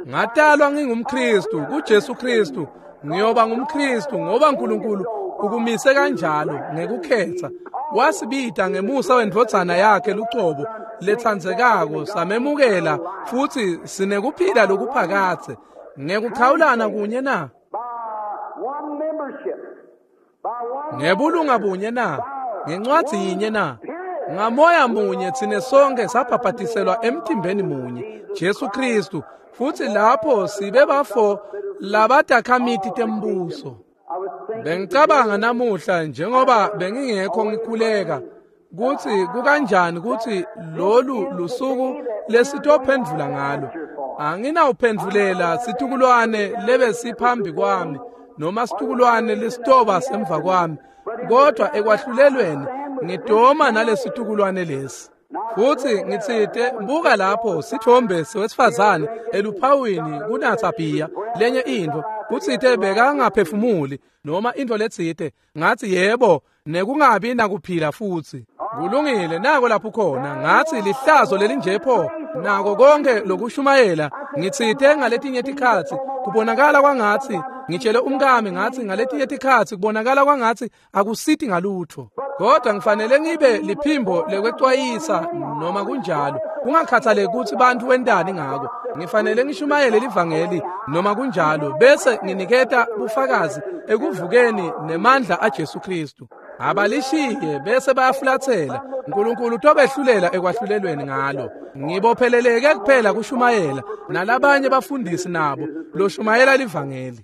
Ngatalwa ngingumKristu kuJesu Kristu, ngiyoba ngumKristu ngoba uNkulunkulu ukumise kanjalo ngekukhetha. Wasibita ngemusa wendvodzana yakhe lucobo letsandzekako, samemukela futsi sinekuphila lokuphakadze ngekuchawulana kunye na ngebulunga bunye na ngencwadzi yinye na ngamoya munye tsine sonke sabhabhatiselwa emtimbeni munye Jesu Kristu, futsi lapho sibe bafo labatakhamiti tembuso. Bengicabanga namuhla njengoba bengingekho ngikhuleka kutsi kukanjani kutsi lolu lusuku lesitophendvula ngalo. Anginawuphendvulela situkulwane lebesiphambi kwami noma situkulwane lesitoba semva kwami, kodwa ekwahlulelweni ngidoma nalesitukulwane lesi. Futsi ngitsite buka lapho sithombe sewesifazane eluphawini kunatsa bhiya lenye intfo, kutsite bekangaphefumuli noma intfo letsite. Ngatsi yebo, nekungabi nakuphila futsi. Kulungile, nako lapho khona. Ngatsi lihlazo lelinje pho nako konke lokushumayela. Ngitsite ngaletinye tikhatsi kubonakala kwangatsi, ngitshele umkami ngatsi ngaletinye tikhatsi kubonakala kwangatsi akusiti ngalutho, kodwa ngifanele ngibe liphimbo lekwecwayisa noma kunjalo, kungakhathaleki kutsi bantfu wentani ngako. Ngifanele ngishumayele livangeli noma kunjalo, bese nginiketa bufakazi ekuvukeni nemandla aJesu Kristu. Abalishiye bese bayafulathela. uNkulunkulu utobehlulela ekwahlulelweni ngalo. Ngibopheleleke kuphela kushumayela nalabanye bafundisi nabo loshumayela livangeli.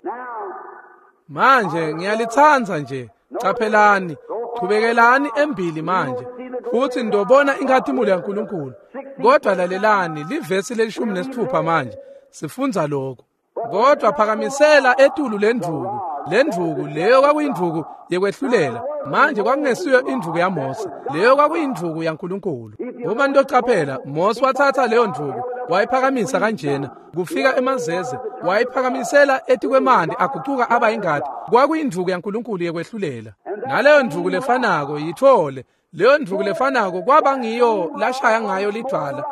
Manje ngiyalitsandza nje. Caphelani, chubekelani embili manje futsi ndobona inkhatimulo yaNkulunkulu. Kodwa lalelani livesi lelishumi nesithupha manje sifundza lokho. Kodwa phakamisela etulu lendvuku, lendvuku leyo kwakuyindvuku yekwehlulela. Manje kwakungesiyo indvuku yaMose, leyo kwakuyindvuku yaNkulunkulu. Uma ntocaphela, Mose wathatha leyo ndvuku wayiphakamisa kanjena kufika emazeze, wayiphakamisela etikwemanti agucuka aba ingati. Kwakuyindvuku yaNkulunkulu yekwehlulela. Naleyo ndvuku lefanako yithole, leyo ndvuku lefanako kwaba ngiyo lashaya ngayo lidvwala,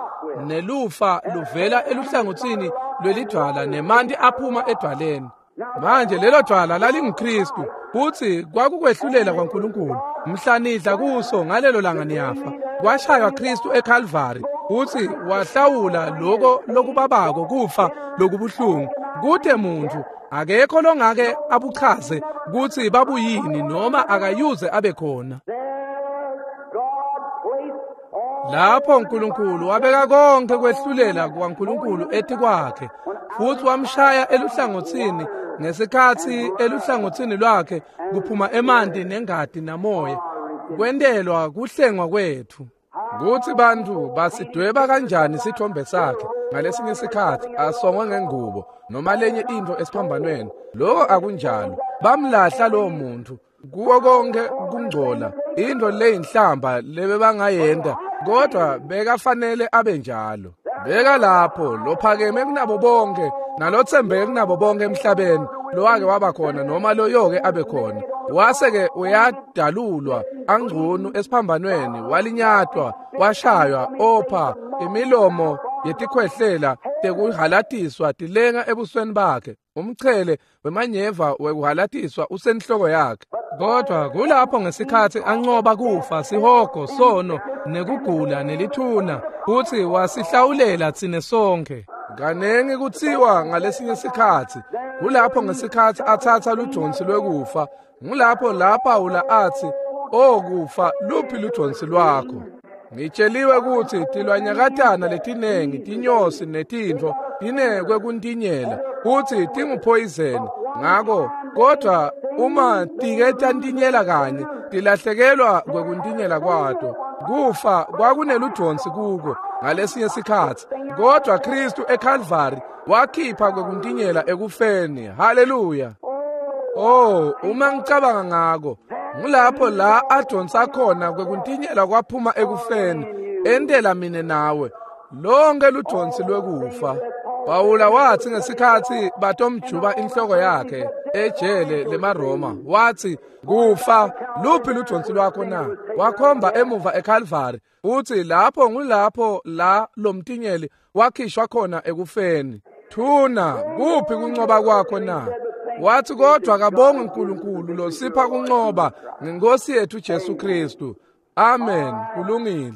nelufa luvela eluhlangotsini lwelidvwala nemanti aphuma edvwaleni. Manje lelo dvwala lalinguKristu, futsi kwakukwehlulela kwaNkulunkulu. Mhla nidla kuso ngalelo langa niyafa. Kwashaywa Kristu eKalvari, futsi wahlawula loko lokubabako kufa lokubuhlungu. Kute muntfu akekho longake abuchaze kutsi babuyini noma akayuze abe khona. Lapho uNkulunkulu wabeka konke kwehlulela kwaNkulunkulu etikwakhe, futsi wamshaya eluhlangotsini ngesikhatsi eluhlangotsini lwakhe kuphuma emanti nengati namoya, kwentelwa kuhlengwa kwetfu. Kutsi bantfu basidweba kanjani sithombe sakhe ngalesinye sikhatsi asongwe ngengubo noma lenye intfo esiphambanweni. Lokho akunjalo. Bamlahla lowo muntu kuwo konke kungcola, intfo leyinhlamba lebebangayenta, kodwa bekafanele abe njalo. Beka lapho lophakeme kunabo bonke nalotsembeke kunabo bonke emhlabeni lowake waba khona noma loyoke abe khona. Wase-ke uyadalulwa angcunu esiphambanweni, walinyatwa, washaywa, opha, imilomo yetikhwehlela tekuhalatiswa tilenga ebusweni bakhe, umchele wemanyeva wekuhalatiswa usenhloko yakhe. Kodwa kulapho ngesikhatsi ancoba kufa, sihogo, sono, nekugula nelithuna, futsi wasihlawulela tsine sonke. Kanengi kutsiwa ngalesinye sikhatsi, kulapho ngesikhatsi atsatsa ludonsi lwekufa, ngulapho la Pawula atsi, "O kufa, luphi ludonsi lwakho?" Ngitsheliwe kutsi tilwanyakatana letinengi, tinyosi netintfo tinekwe kuntinyela, kutsi tinguphoyizeni. Ngako kodwa uma tike tantinyela kanye, tilahlekelwa kwekuntinyela kwato. Kufa kwakuneludonsi kuko ngalesinye sikhatsi, kodwa Kristu eKalvari wakhipha kwekuntinyela ekufeni. Haleluya! Oh, uma ngicabanga ngako, ngulapho la adonsa khona kwekuntinyela kwaphuma ekufeni, entela mine nawe lonke ludonsi lwekufa. Pawula wathi ngesikhathi batomjuba inhloko yakhe ejele lemaRoma, wathi kufa luphi ludonsi lwakho na? Wakhomba emuva eCalvary, uthi lapho ngulapho la lomtinyeli wakhishwa khona ekufeni. Thuna kuphi kuncoba kwakho na? Wathi kodwa kabonge uNkulunkulu losipha kuncoba ngenkosi yethu Jesu Kristu. Amen. Kulungile.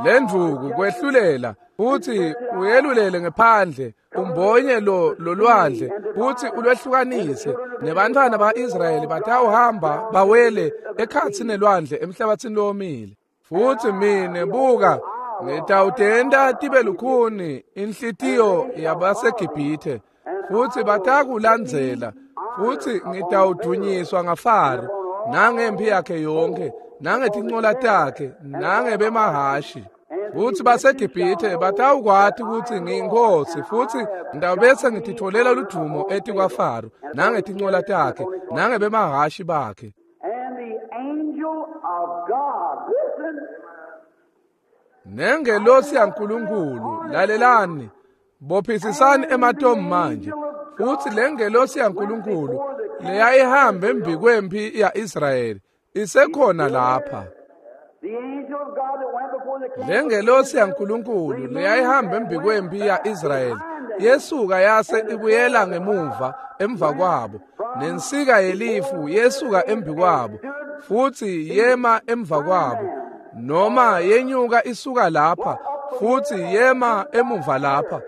Lendvuku kwehlulela futhi uyelulele ngephandle umbonye lo lolwandle futhi ulwehlukanise nebantwana ba-Israyeli batawuhamba bawele ekhathi nelwandle emhlabathini lomile. Futhi mine buka ngitawutenta tibe lukhuni inhlitiyo yabaseGibhithe futhi batakulandzela futhi ngitawudunyiswa ngaFaro nangempi yakhe yonke nangetincola takhe nangebemahashi. Futhi baseGibhithe batawukwati ukuthi ngiyinkosi futhi ngitawubese ngititholela ludumo etikwaFaro nangetincola takhe nangebemahashi bakhe. Nengelosi yaNkulunkulu, lalelani, bophisisani ematomu manje. Futhi lengelosi yaNkulunkulu leyayihambe embikwempi ya-Israyeli isekhona lapha. Lengelosi yaNkulunkulu leyayihamba embikwempi ya-Israyeli yesuka yase ibuyela ngemuva emva kwabo, nensika yelifu yesuka embikwabo futhi yema emva kwabo, noma yenyuka isuka lapha futhi yema emuva lapha,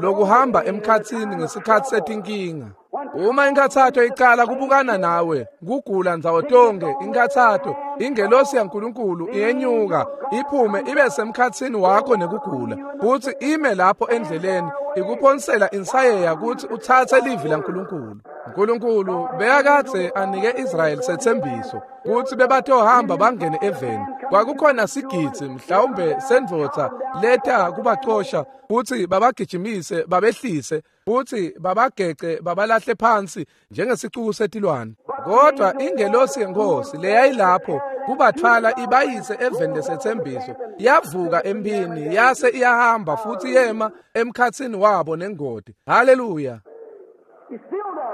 lokuhamba emkhathini ngesikhathi setinkinga. Uma inkathatho iqala kubukana nawe, kugula ndzawo tonke, inkathatho, ingelosi yaNkulunkulu iyenyuka iphume ibe semkhathini wakho nekugula, futhi ime lapho endleleni ikuphonsela insayeya ukuthi uthathe livi laNkulunkulu. uNkulunkulu bekakadze anike Israyeli sethembiso ukuthi bebatohamba bangene eveni. Kwakukhona sigidzi mhlawumbe sendvodza leta kubacosha futhi babagijimise babehlise futhi babagece babalahle phansi njengesicuku setilwane. Kodwa ingelosi yenkosi leyayilapho kubathwala ibayise eveni lesethembiso yavuka empini yase iyahamba futhi yema emkhathini wabo nengodi. Haleluya.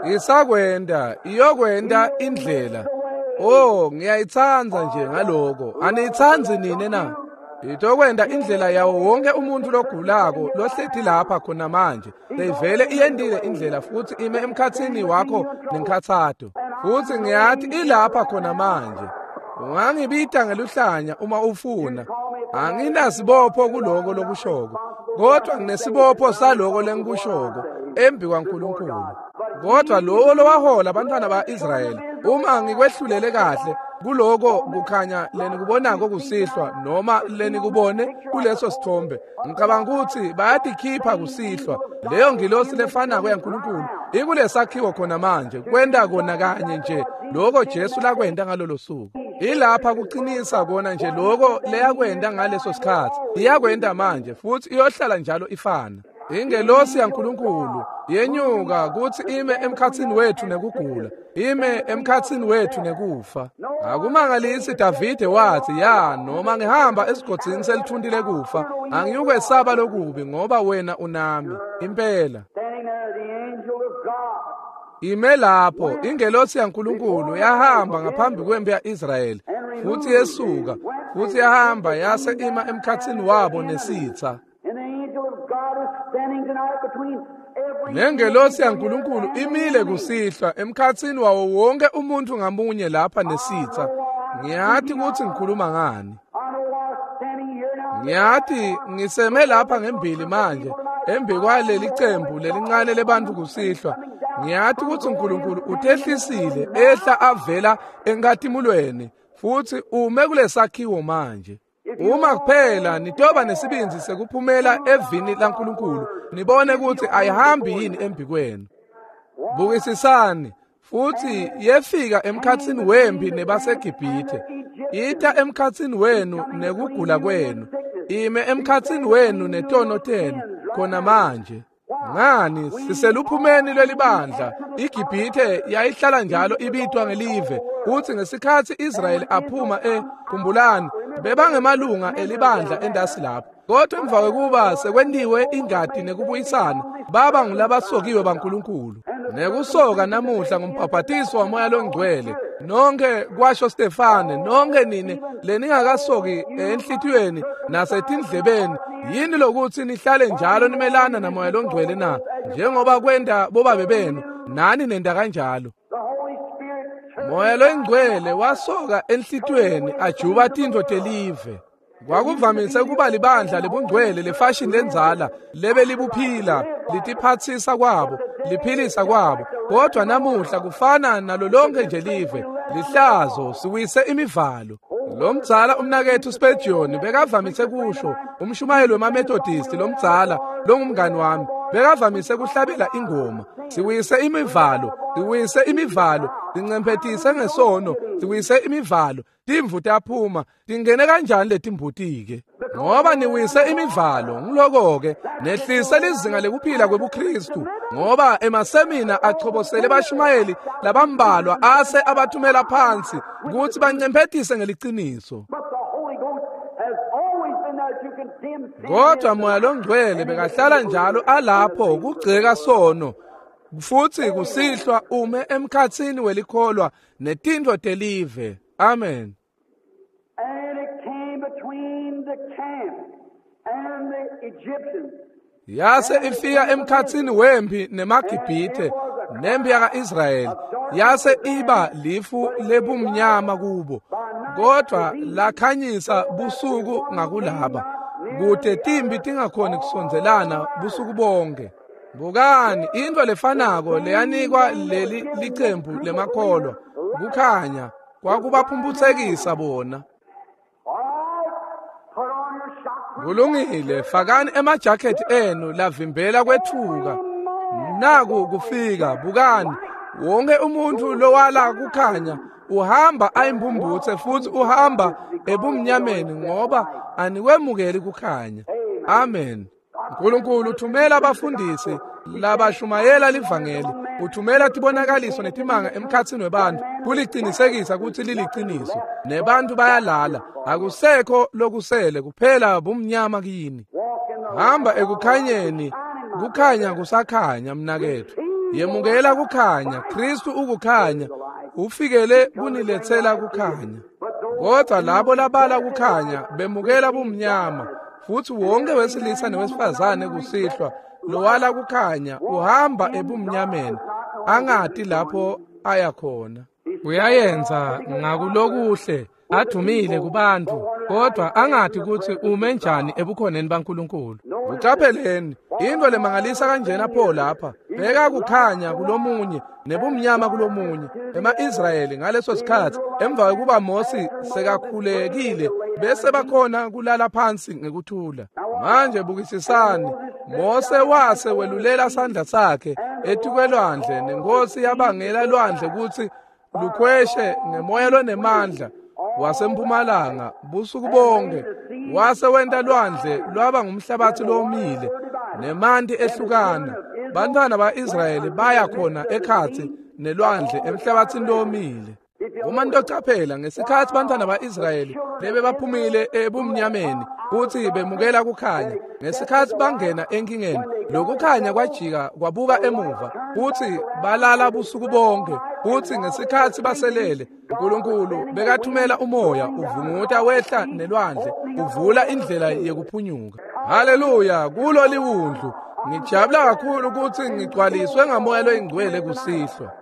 Isakwenda iyokwenda indlela. Oh, ngiyayithanda nje ngaloko. Aniyithandi nini na? Itokwenda indlela yawo wonke umuntu logulako lohleti lapha khona manje. Seyivele iyendile indlela futhi ime emkhathini wakho nenkhathato. Futhi ngiyathi ilapha khona manje. Ungangibita ngeluhlanya uma ufuna. Anginasibopho kuloko lokushoko, kodwa nginesibopho saloko lengikushoko embi kwaNkulunkulu. Kodwa lowo lowahola abantwana ba-Israyeli, uma ngikwehlulele kahle kuloko kukhanya lenikubonako kusihlwa noma lenikubone kuleso sithombe, ngicabanga ukuthi bayatikhipha kusihlwa. Leyo ngilosi lefanako yaNkulunkulu ikulesakhiwo khona manje, kwenta kona kanye nje lokho Jesu lakwenta ngalolo suku. Ilapha kuqinisa kona nje lokho leyakwenta ngaleso sikhathi, iyakwenta manje futhi iyohlala njalo ifana. Ingelosi yaNkulunkulu yenyuka kuthi ime emkhathini wethu nekugula, ime emkhathini wethu nekufa. Akumangalisi Davide wathi, ya noma ngihamba esigodini selithunti lekufa, angiyukwesaba lokubi ngoba wena unami. Impela ime lapho ingelosi yaNkulunkulu yahamba ngaphambi kwempi ya-Israyeli futhi yesuka futhi yahamba yase ima emkhathini wabo nesitha. Nengelosi yaNkulunkulu imile kusihlwa emkhathini wawo wonke umuntu ngamunye lapha nesitha. Ngiyathi ukuthi ngikhuluma ngani. Ngiyathi ngiseme lapha ngembili manje embi kwaleli cembu lelincane lebantu kusihlwa. Ngiyathi ukuthi uNkulunkulu utehlisile ehla avela enkatimulweni futhi ume kulesakhiwo manje. Uma kuphela nitoba nesibinzi sekuphumela evini laNkulunkulu, nibone ukuthi ayihambi yini embi kwenu. Bukisisani, futhi yefika emkhathini wempi nebaseGibhithe, ita emkhathini wenu nekugula kwenu, ime emkhathini wenu netono tenu khona manje. Ngani siseluphumeni lwelibandla. iGibhithe yayihlala njalo ibitwa ngelive, kuthi ngesikhathi Israyeli aphuma e khumbulani bebangemalunga elibandla endasi lapho. Kodwa emva kwekuba sekwentiwe ingati nekubuyisana, baba ngulabasokiwe baNkulunkulu. Nekusoka namuhla ngumbhabhatiso waMoya loNgcwele. Nonke kwasho Stefane, nonke nine leningakasoki enhlitiyweni nasetindlebeni, yini lokuthi nihlale njalo nimelana naMoya loNgcwele na? Njengoba kwenta bobabe benu, nani nenda kanjalo. Moya loNgcwele wasoka enhlitiyweni ajuba tintfo telive. Kwakuvamise ukuba libandla lebungcwele lefashini lenzala lebe libuphila litiphatsisa kwabo liphilisa kwabo, kodwa namuhla kufana nalo lonke nje live lihlazo siwise imivalo. Lo mdzala umnakethu Spurgeon bekavamise kusho, umshumayeli wemaMethodist lomdzala longumngani wami bekavamise kuhlabela ingoma, siwise imivalo, siwise imivalo, sincemphetise ngesono, siwise imivalo. Timvu taphuma, tingene kanjani letimbutike? Ngoba niwise imivalo, ngiloko-ke nehlise lizinga lekuphila kwebuKristu, ngoba emasemina achobosele bashumayeli labambalwa ase abathumela phansi kutsi bancemphetise ngeliciniso. Kodwa Moya loNgcwele bekahlala njalo alapho kugceka sono, futsi kusihlwa ume emkhatsini welikholwa netintfo telive. Amen. And it came between the camp and the Egyptians. Yase ifika emkhatsini wempi nemaGibhithe nempi yaka-Israyeli, yase iba lifu lebumnyama kubo, kodwa lakhanyisa busuku ngakulaba, kute timbi tingakhoni kusondzelana busuku bonke. Bukani intfo lefanako leyanikwa leli licembu lemakholwa, kukhanya kwakubaphumphutsekisa bona. Kulungile, fakani emajakhethi enu lavimbela kwetfuka. Naku kufika, bukani, wonke umuntu lowala kukhanya uhamba ayimbumbutse futhi uhamba ebumnyameni ngoba anikwemukeli kukhanya. Amen. uNkulunkulu uthumela abafundisi labashumayela livangeli, uthumela tibonakaliso netimanga emkhatsini webantu kulicinisekisa kutsi liliciniso, nebantu bayalala, akusekho lokusele kuphela bumnyama kini. Hamba ekukhanyeni, kukhanya kusakhanya mnaketfu. Yemukela kukhanya, Kristu ukukhanya, ufikele kuniletsela kukhanya. Kodwa labo labala kukhanya bemukela bumnyama, futhi wonke wesilisa newesifazane kusihlwa lowala kukhanya uhamba ebumnyameni angati lapho aya khona. Uyayenza ngakulokuhle adumile kubantu, kodwa angati kutsi ume njani ebukhoneni baNkulunkulu. Uqapheleni into lemangalisa kanjena pho lapha, beka kukhanya kulomunye nebumnyama kulomunye. Ema-Israyeli ngaleso sikhatsi emva kwekuba Mosi sekakhulekile bese bakhona kulala phansi ngekuthula. Manje bukisisani, Mose wase welulela sandla sakhe etikwelwandle, nenkosi yabangela lwandle kutsi lukhweshe ngemoya lonemandla wasempumalanga busuku bonke. Wase wenta lwandle lwaba ngumhlabatsi lowomile nemanti ehlukana. Bantwana ba-Israyeli baya khona ekhatsi nelwandle emhlabatsini lowomile. Uma nitocaphela ngesikhatsi bantwana ba-Israyeli lebebaphumile ebumnyameni kutsi bemukela kukhanya, ngesikhatsi bangena enkingeni lokukhanya kwajika kwabuka emuva kutsi balala busuku bonke. Kutsi ngesikhatsi baselele, uNkulunkulu bekathumela umoya uvunguta wehla nelwandle uvula indlela yekuphunyuka. Haleluya, kulo liwundlu ngijabula kakhulu kutsi ngigcwaliswe ngaMoya loyiNgcwele kusihlwa.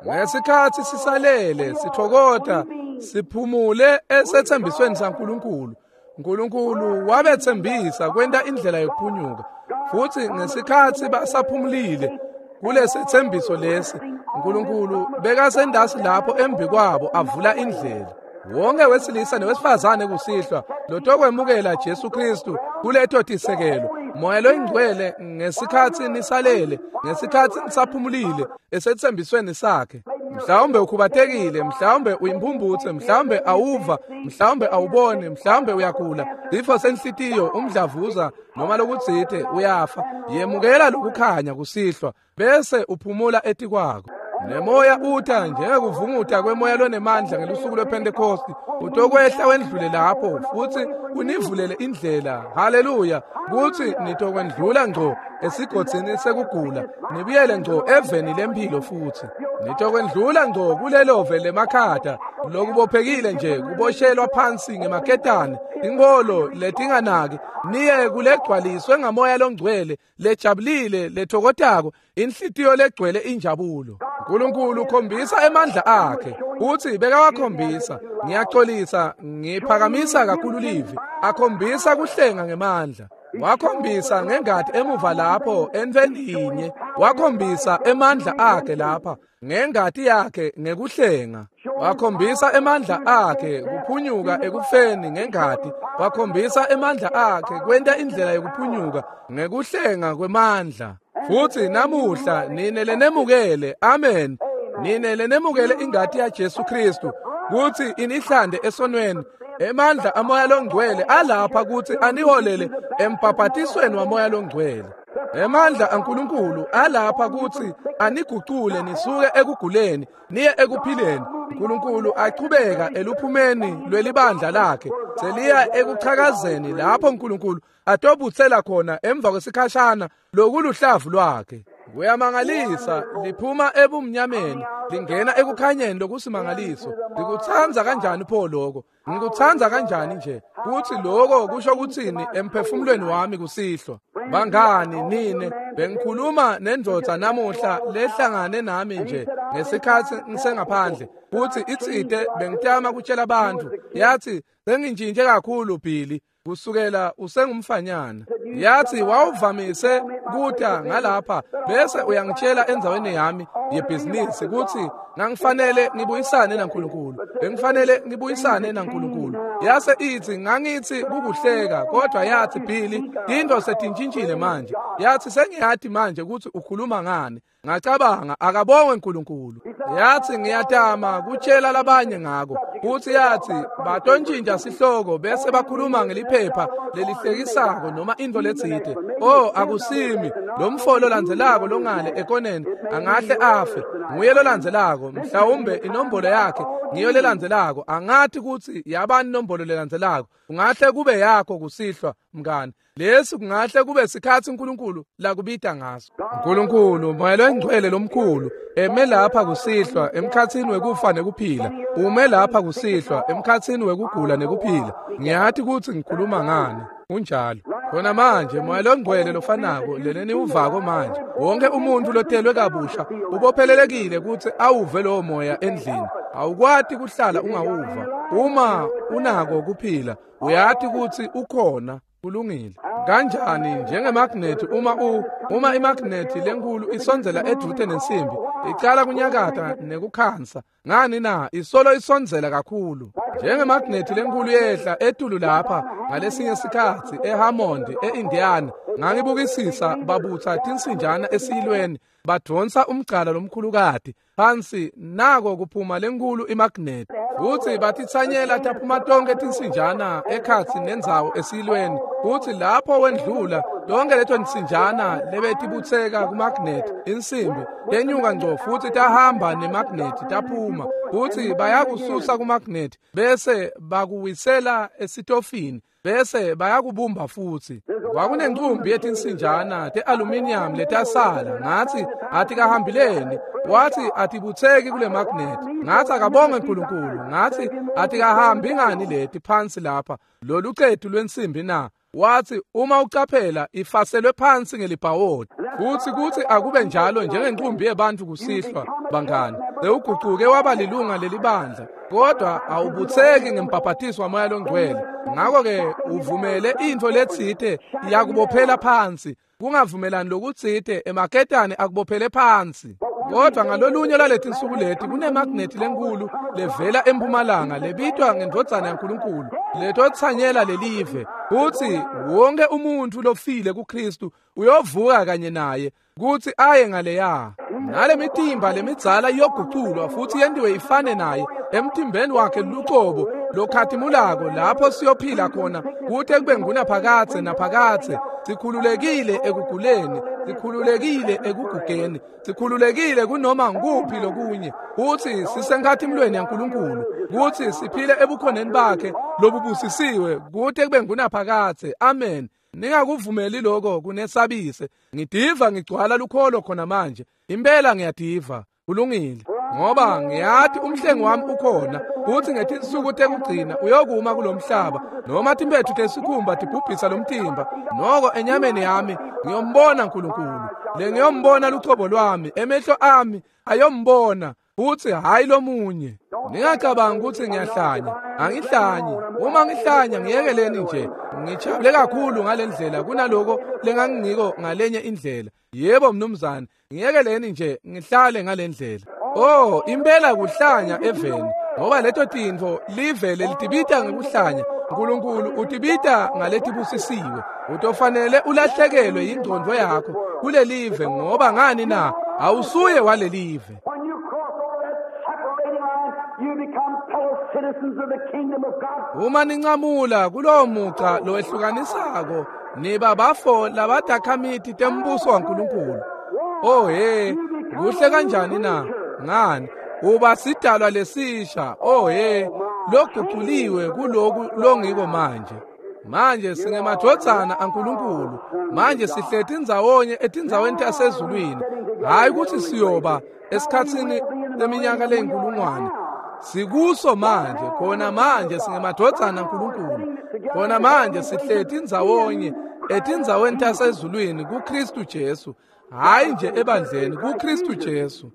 Ngesikhatsi sisalele sithokota siphumule esethembisweni saNkulunkulu, uNkulunkulu wabethembisa kwenta indlela yokuphunyuka. Futhi ngesikhatsi basaphumulile kulesethembiso lesi, uNkulunkulu bekasendasi lapho embi kwabo avula indlela. Wonke wesilisa newesifazane kusihlwa lotokwemukela Jesu Kristu kuleto tisekelo, Moya loyiNgcwele, ngesikhatsi nisalele, ngesikhatsi nisaphumulile esethembisweni sakhe. Mhlawumbe ukhubatekile, mhlawumbe uyimpumputse, mhlawumbe awuva, mhlawumbe awuboni, mhlawumbe uyagula, sifo senhlitiyo, umdlavuza noma lokutsite, uyafa. Yemukela lokukhanya kusihlwa bese uphumula etikwako. Nemoya uta njengekuvunguta kwemoya lonemandla ngelusuku lwePhentekosti, utokwehla wendlule lapho futsi univulele indlela. Haleluya! Kutsi nitokwendlula ngco esigodzini sekugula, nibuyele ngco eveni lempilo futsi. Nitokwendlula ngco kulelove lemakhata lokubophekile nje kuboshelwa phansi ngemaketane, tinkholo letinganaki, niye kulegcwaliswe ngamoya longcwele, lejabulile, lethokozako, inhlitiyo legcwele injabulo. Nkulunkulu ukhombisa emandla akhe, utsi bekawakhombisa. Ngiyaxolisa, ngiphakamisa kakhulu livi. Akhombisa kuhlenga ngemandla. Wakhombisa ngengati emuva lapho entfweni yinye. Wakhombisa emandla akhe lapha ngengati yakhe ngekuhlenga. Wakhombisa emandla akhe kuphunyuka ekufeni ngengati. Wakhombisa emandla akhe kwenta indlela yokuphunyuka ngekuhlenga kwemandla. Futsi namuhla nine lenemukele, amen, nine lenemukele ingati ya Jesu Kristu kutsi inihlande esonweni. Emandla amoya longcwele alapha kutsi aniholele embhabhatisweni wamoya longcwele. Emandla aNkulunkulu alapha kutsi anigucule nisuke ekuguleni niye ekuphileni. uNkulunkulu achubeka eluphumeni lwelibandla lakhe seliya ekuchakazeni lapho uNkulunkulu atobutsela khona emva kwesikhashana lokuluhlavu lwakhe. Kuyamangalisa, liphuma ebumnyameni lingena ekukhanyeni lokusimangaliso. Ngikutsandza kanjani pho lokho? Ngikutsandza kanjani nje kutsi lokho kusho kutsini emphefumulweni wami kusihlwa. Bangani nine, bengikhuluma nendvodza namuhla lehlangane nami nje ngesikhatsi ngisengaphandle, kutsi itsite bengitama kutshela abantu, yathi sengintshintshe kakhulu Billy kusukela usengumfanyana. Yathi wawuvamise kuta ngalapha bese uyangitshela endzaweni yami yebhizinisi kutsi ngangifanele ngibuyisane naNkulunkulu, bengifanele ngibuyisane naNkulunkulu. Yase ithi ngangithi kukuhleka, kodwa yathi Billy into setintshintshile manje. Yathi sengiyati manje kutsi ukhuluma ngani. Ngacabanga akabongwe uNkulunkulu. Yathi ngiyatama kutshela labanye ngako. Futhi yathi batontshintsha sihloko bese bakhuluma ngeliphepha lelihlekisako noma into letsite. Oh, akusimi lo mfolo landzelako longale ekoneni angahle afe. Nguye lolandzelako, mhlawumbe inombolo yakhe ngiyo lelandzelako. Angathi kutsi yabani inombolo lelandzelako. Ungahle kube yakho kusihlwa mngani. Lesi kungahle kube sikhatsi uNkulunkulu lakubita ngaso. uNkulunkulu moya longcwele lomkhulu eme lapha kusihlwa emkhatsini wekufa nekuphila. Ume lapha kusihlwa emkhatsini wekugula nekuphila. Ngiyati kutsi ngikhuluma ngani. Kunjalo. Khona manje moya longcwele lofanako leleni uvako manje. Wonke umuntu lotelwe kabusha ubophelelekile kutsi awuve lowo moya endlini. Awukwati kuhlala ungawuva. Uma unako kuphila, uyati kutsi ukhona. Kulungile. Kanjani njengemagnethi, uma u uma imagnethi lenkulu isondzela edvute nensimbi, icala kunyakata nekukhansa. Ngani na? Isolo isondzela kakhulu. Njengemagnethi lenkulu yehla etulu lapha ngalesinye sikhatsi eHammond eIndiana, ngangibukisisa babutsa tinsinjana esiyilweni, badvonsa umgcala lomkhulukati phansi, nako kuphuma lenkulu imagnethi. Futsi batitsanyela taphuma tonke tinsinjana ekhatsi nendzawo esiyilweni. Futsi lapho wendlula tonke leto tinsinjana lebetibutseka kumagnethi insimbi tenyuka ngco futsi tahamba nemagnethi taphuma. Futsi bayakususa kumagnethi bese bakuwisela esitofini bese bayakubumba futsi. Kwakunencumbi yetinsinjana te-aluminium letasala. Ngathi atikahambileni. Wathi atibutseki kule magnet. Ngathi akabonge uNkulunkulu. Ngathi atikahambi ngani leti phansi lapha lolu cetu lwensimbi na? Wathi uma ucaphela ifaselwe phansi ngelibhawodi. Futhi kuthi akube njalo njengenqumbi yebantu kusihlwa bangani. Sewuguquke waba lilunga lelibandla, kodwa awubutseki ngembhabhatiso wamoya longcwele. Ngakho-ke uvumele intfo letsite yakubophela phansi. Kungavumelani lokutsite emaketane akubophele phansi. Kodwa ngalolunye lwaleti nsuku leti kunemagnethi lenkulu levela empumalanga lebitwa ngendvodzana yaNkulunkulu letotsanyela lelive. Kutsi wonke umuntfu lofile kuKristu uyovuka kanye naye kutsi aye ngaleya. Nale mitimba lemidzala iyoguculwa futsi yentiwe ifane naye emtimbeni wakhe lucobo lokhatimulako, lapho siyophila khona kute kube ngunaphakadze naphakadze, sikhululekile ekuguleni, Sikhululekile ekugugeni, sikhululekile kunoma nguphi lokunye, kutsi sisenkhatimulweni yaNkulunkulu, kutsi siphile ebukhoneni bakhe lobubusisiwe kute kube ngunaphakadze. Amen. Ningakuvumeli lokho kunesabise. Ngidiva ngigcwala lukholo khona manje. Impela ngiyadiva. Kulungile, ngoba ngiyati umhlengi wami ukhona, kutsi ngetinsuku tekugcina uyokuma kulomhlaba, noma timphetfu tesikhumba tibhubhisa lomtimba, noko enyameni yami ngiyombona uNkulunkulu. Le ngiyombona luchobo lwami, emehlo ami ayombona, futsi hayi lomunye. Ningacabangi kutsi ngiyahlanya. Angihlanyi. Uma ngihlanya ngiyekeleni nje. Ngijabule kakhulu ngalendlela kunaloko lengangingiko ngalenye indlela. Yebo mnumzane, ngiyekeleni nje ngihlale ngalendlela. Oh, impela kuhlanya eveni, ngoba leto tintfo live lelitibita ngekuhlanya. uNkulunkulu utibita ngaletibusisiwe. Utofanele ulahlekelwe yingcondvo yakho kulelive, ngoba ngani na? Awusuye walelive. Uma nincamula kulowo muca lowehlukanisako, niba bafo labatakhamiti tembuso waNkulunkulu. Oh he, kuhle kanjani na? Ngani? Uba sidalwa lesisha. Oh he, loguculiwe kuloku longiko manje. Manje singemadvodzana aNkulunkulu. Manje sihleti ndzawonye etindzaweni tasezulwini. Hayi ukuthi siyoba esikhatsini leminyaka leyinkulungwane. Sikuso manje, khona manje singemadvodzana aNkulunkulu. Khona manje sihleti ndzawonye etindzaweni tasezulwini kuKristu Jesu. Hayi nje ebandleni, kuKristu Jesu.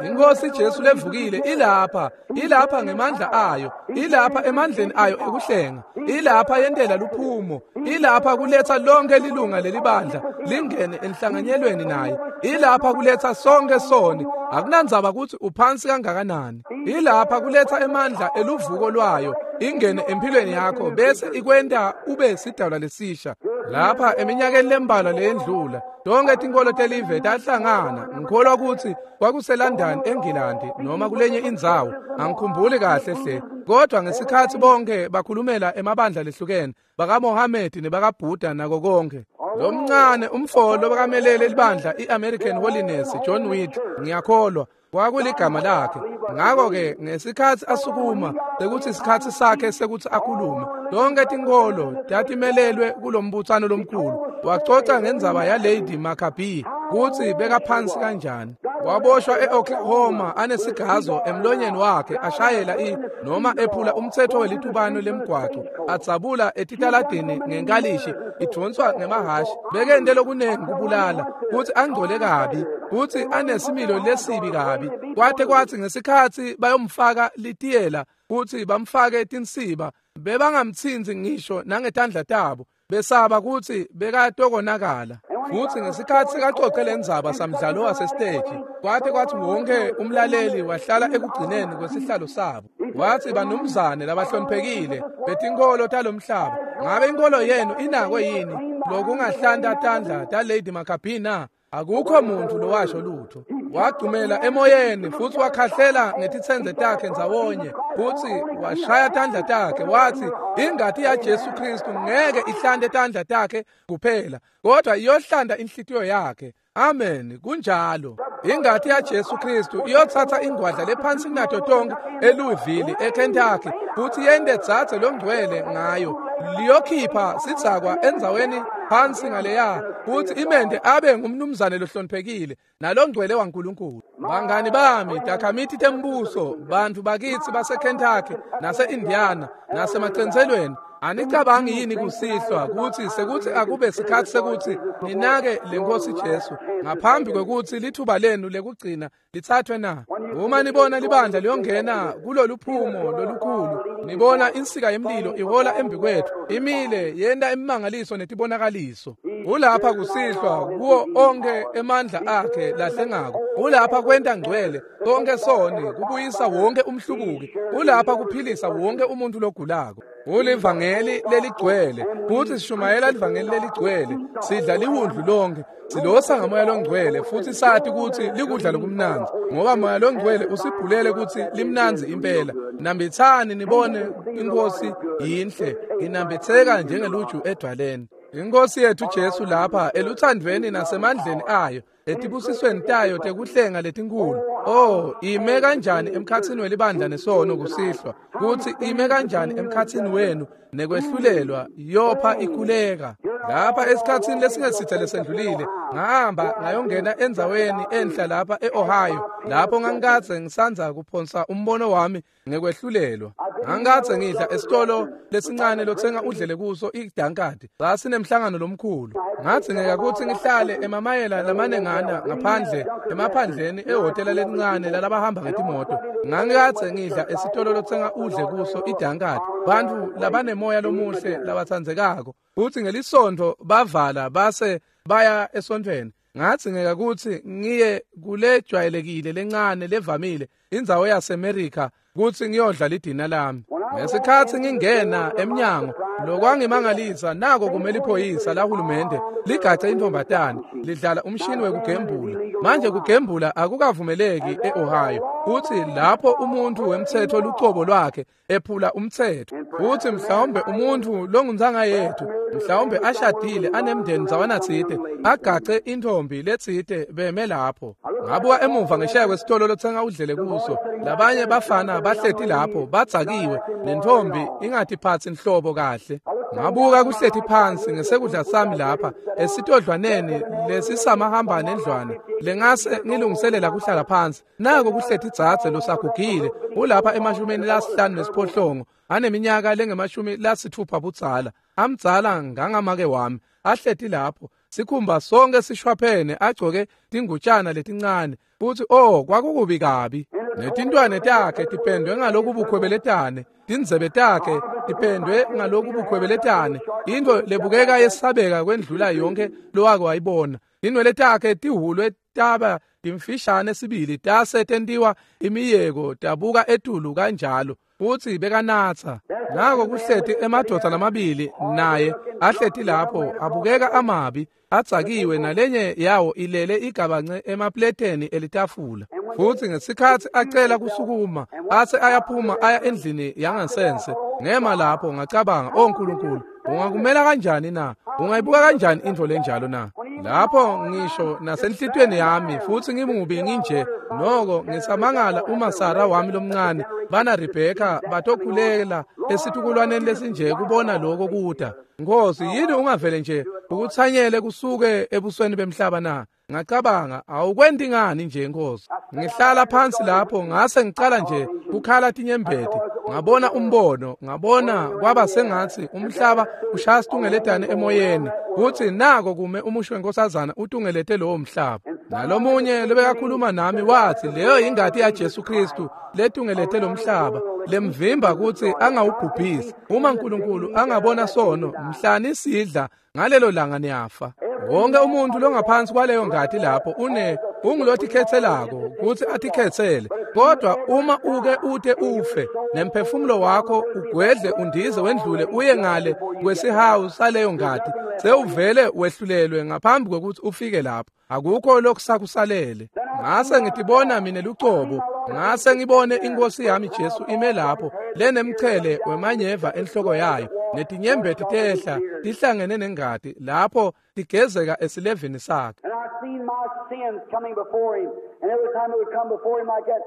Inkosi Jesu levukile ilapha, ilapha ngemandla ayo, ilapha emandleni ayo ekuhlenga, ilapha yentela luphumo, ilapha kuletha lonke lilunga lelibandla lingene enhlanganyelweni naye, ilapha kuletha sonke soni, akunandzaba ukuthi uphansi kangakanani, ilapha kuletha emandla eluvuko lwayo ingene empilweni yakho bese ikwenta ube sidalwa lesisha. Lapha eminyakeni lembalwa leyendlula, tonke tinkolo telive tahlangana. Ngikholwa ukuthi kwakuseLondon eNgilandi noma kulenye indzawo, angikhumbuli kahle hle, kodwa ngesikhathi bonke bakhulumela emabandla lehlukene, bakaMohammed nebakaBuddha nako konke. Lomncane umfolo bakamelele libandla iAmerican Holiness John Whit, ngiyakholwa kwakuligama lakhe. Ngakho-ke ngesikhathi asukuma sekuthi isikhathi sakhe sekuthi akhulume, tonke tinkolo tatimelelwe kulombutsano lomkhulu. Wacoca ngendzaba yaLady Maccabee kutsi bekaphansi kanjani. Waboshwa eOklahoma anesigazo emlonyeni wakhe, ashayela i noma ephula umthetho welitubano lemgwaco, adzabula etitaladini ngenkalishi idvonswa ngemahashi. Bekente lokunengi kubulala, kutsi angcole kabi, kutsi anesimilo lesibi kabi. Kwate kwatsi ngesikhathi bayomfaka litiyela kutsi bamfake tinsiba, bebangamtsinzi ngisho nangetandla tabo, besaba kutsi bekatokonakala. Futsi ngesikhathi kacoce lendzaba samdlalo wasesiteji, kwate kwathi wonke umlaleli wahlala ekugcineni kwesihlalo sabo. Wathi, banumzane labahloniphekile betinkolo talomhlaba, ngabe inkolo yenu inako yini lokungahlanta tandla taLady Maccabee na? Akukho muntu lowasho lutho. Wagcumela emoyeni futsi wakhahlela ngetitsendze takhe ndzawonye, futsi washaya tandla takhe wathi, ingati yaJesu Kristu ngeke ihlante tandla takhe kuphela, kodwa iyohlanta inhlitiyo yakhe. Amen, kunjalo. Ingati yaJesu Kristu iyothatha ingwadla lephansi kunato tonke eLouisville eKentucky, futhi yente dzadze longcwele ngayo. Liyokhipha sidzakwa endzaweni phansi ngaleya, futhi imende abe ngumnumzane lohloniphekile nalongcwele waNkulunkulu. Bangani bami, takhamiti tembuso, bantu bakitsi baseKentucky nase-Indiana nasemacentselweni, anicabangi yini kusihlwa kutsi sekuthi akube sikhathi sekuthi ninake lenkosi Jesu ngaphambi kwekutsi lithuba lenu lekugcina lithathwe na? Uma nibona libandla liyongena kuloluphumo lolukhulu, nibona insika yemlilo ihola embi kwethu, imile yenta imimangaliso netibonakaliso. Ulapha kusihlwa kuwo onke emandla akhe lahlengako. Ulapha kwenta ngcwele konke soni, kubuyisa wonke umhlubuki. Ulapha kuphilisa wonke umuntu logulako. Ulivangeli leligcwele, futhi sishumayela livangeli leligcwele, sidla liwundlu lonke, silosa ngamoya longcwele, futhi sathi kutsi likudla lokumnandzi, ngoba moya longcwele usibhulele kutsi limnandzi impela. Nambitsani nibone inkosi yinhle, inambitseka njengeluju edwaleni. Inkosi yethu Jesu lapha eluthandweni nasemandleni ayo, etibusisweni tayo tekuhlenga letinkulu. Oh, ime kanjani emkhatsini welibandla nesono kusihlwa, kutsi ime kanjani emkhatsini wenu nekwehlulelwa, yopha ikhuleka. Lapha esikhatsini lesingesithe lesendlulile, ngahamba ngayongena endzaweni enhla lapha e-Ohio, lapho ngangikadze ngisandza kuphonsa umbono wami ngekwehlulelwa. Ngangikadze ngidla esitolo lesincane lotsenga udlele kuso idankadi. Sasinemhlangano lomkhulu. Ngadzingeka kutsi ngihlale emamayela lamanengana ngaphandle emaphandleni ehhotela lelincane lalabahamba ngetimoto. Ngangikadze ngidla esitolo lotsenga udle kuso idankadi. Bantfu labanemoya lomuhle labatsandzekako. Futsi ngelisonto bavala base baya esontfweni. Ngadzingeka kutsi ngiye kulejwayelekile lencane levamile indzawo yaseMerica kutsi ngiyodla lidina lami. Ngesikhatsi ngingena emnyango, lokwangimangalisa nako kumele iphoyisa lahulumende ligace intombatane lidlala umshini wekugembula. Manje kugembula akukavumeleki e-Ohio, kutsi lapho umuntu wemtsetfo lucobo lwakhe ephula umtsetfo, kutsi mhlawumbe umuntu longuntsanga yethu, mhlawumbe ashadile anemndeni ndzawana-tsite, agace intombi letsite beme lapho. Ngabuka emuva ngesheya kwesitolo lotsenga udlele kuso, labanye bafana bahleti lapho badzakiwe, nentombi ingatiphatsi nhlobo kahle. Ngabuka kuhleti phansi ngesekudla sami lapha esitodlwaneni lesisamahamba nendlwana lengase ngilungiselela kuhlala phansi. Nako kuhleti dzadze losagugile ulapha emashumini lasihlanu nesiphohlongo, aneminyaka lengemashumi lasitfupha budzala, amdzala ngangamake wami, ahleti lapho sikhumba sonke sishwaphene, agcoke tingutshana letincane, futsi oh kwakukubi kabi. Netintwane takhe tipendwe ngaloku bukhwebeletane, tindzebe takhe tipendwe ngaloku bukhwebeletane, intfo lebukeka yesabeka kwendlula yonke lowake wayibona. Tinwele takhe tihulwe taba timfishane sibili, tase tentiwa imiyeko tabuka etulu kanjalo, futsi bekanatsa. Nako kuhleti emadvodza lamabili naye ahleti lapho, abukeka amabi, adzakiwe, nalenye yawo ilele igabance emapleteni elitafula. Futsi ngesikhatsi acela kusukuma, ase ayaphuma aya endlini yangasense. Ngema lapho ngacabanga, "Oh Nkulunkulu, ungakumela kanjani na? Ungayibuka kanjani intfo lenjalo na?" Lapho ngisho nasenhlitiyweni yami futsi ngimubi nginje, noko ngisamangala uma Sara wami lomncane bana Rebheka batokhulela esitukulwaneni lesinje kubona lokho kuda. Nkosi, yini ungavele nje ukutsanyele kusuke ebusweni bemhlaba na? Ngacabanga, awukwenti ngani nje Nkosi? Ngihlala phansi lapho ngase ngicala nje kukhala tinyembeti. Ngabona umbono, ngabona kwaba sengatsi umhlaba ushaya situngeletane emoyeni, kutsi nako kume umusho wenkosazana utungelete lowo mhlaba. Nalomunye lobekakhuluma nami watsi leyo ingati yaJesu Kristu letungelete lo mhlaba, lemvimba kutsi angawubhubhisi. Uma Nkulunkulu angabona sono, mhlani sidla ngalelo langa niyafa. Wonke umuntu longaphansi kwaleyo ngati lapho une ungulotikhetselako kutsi atikhetsele, kodwa uma uke ute ufe nemphefumulo wakho ugwedle undize wendlule uye ngale kwesihawu saleyo ngati, sewuvele wehlulelwe ngaphambi kwekutsi ufike lapho. Akukho lokusakusalele. Ngase ngitibona mine lucobo, ngase ngibone inkosi yami Jesu ime lapho lenemchele wemanyeva enhloko yayo, netinyembeti tehla tihlangene nengati lapho tigezeka esilevini sakhe. And I've seen my sins coming before him, and every time it would come before him like that,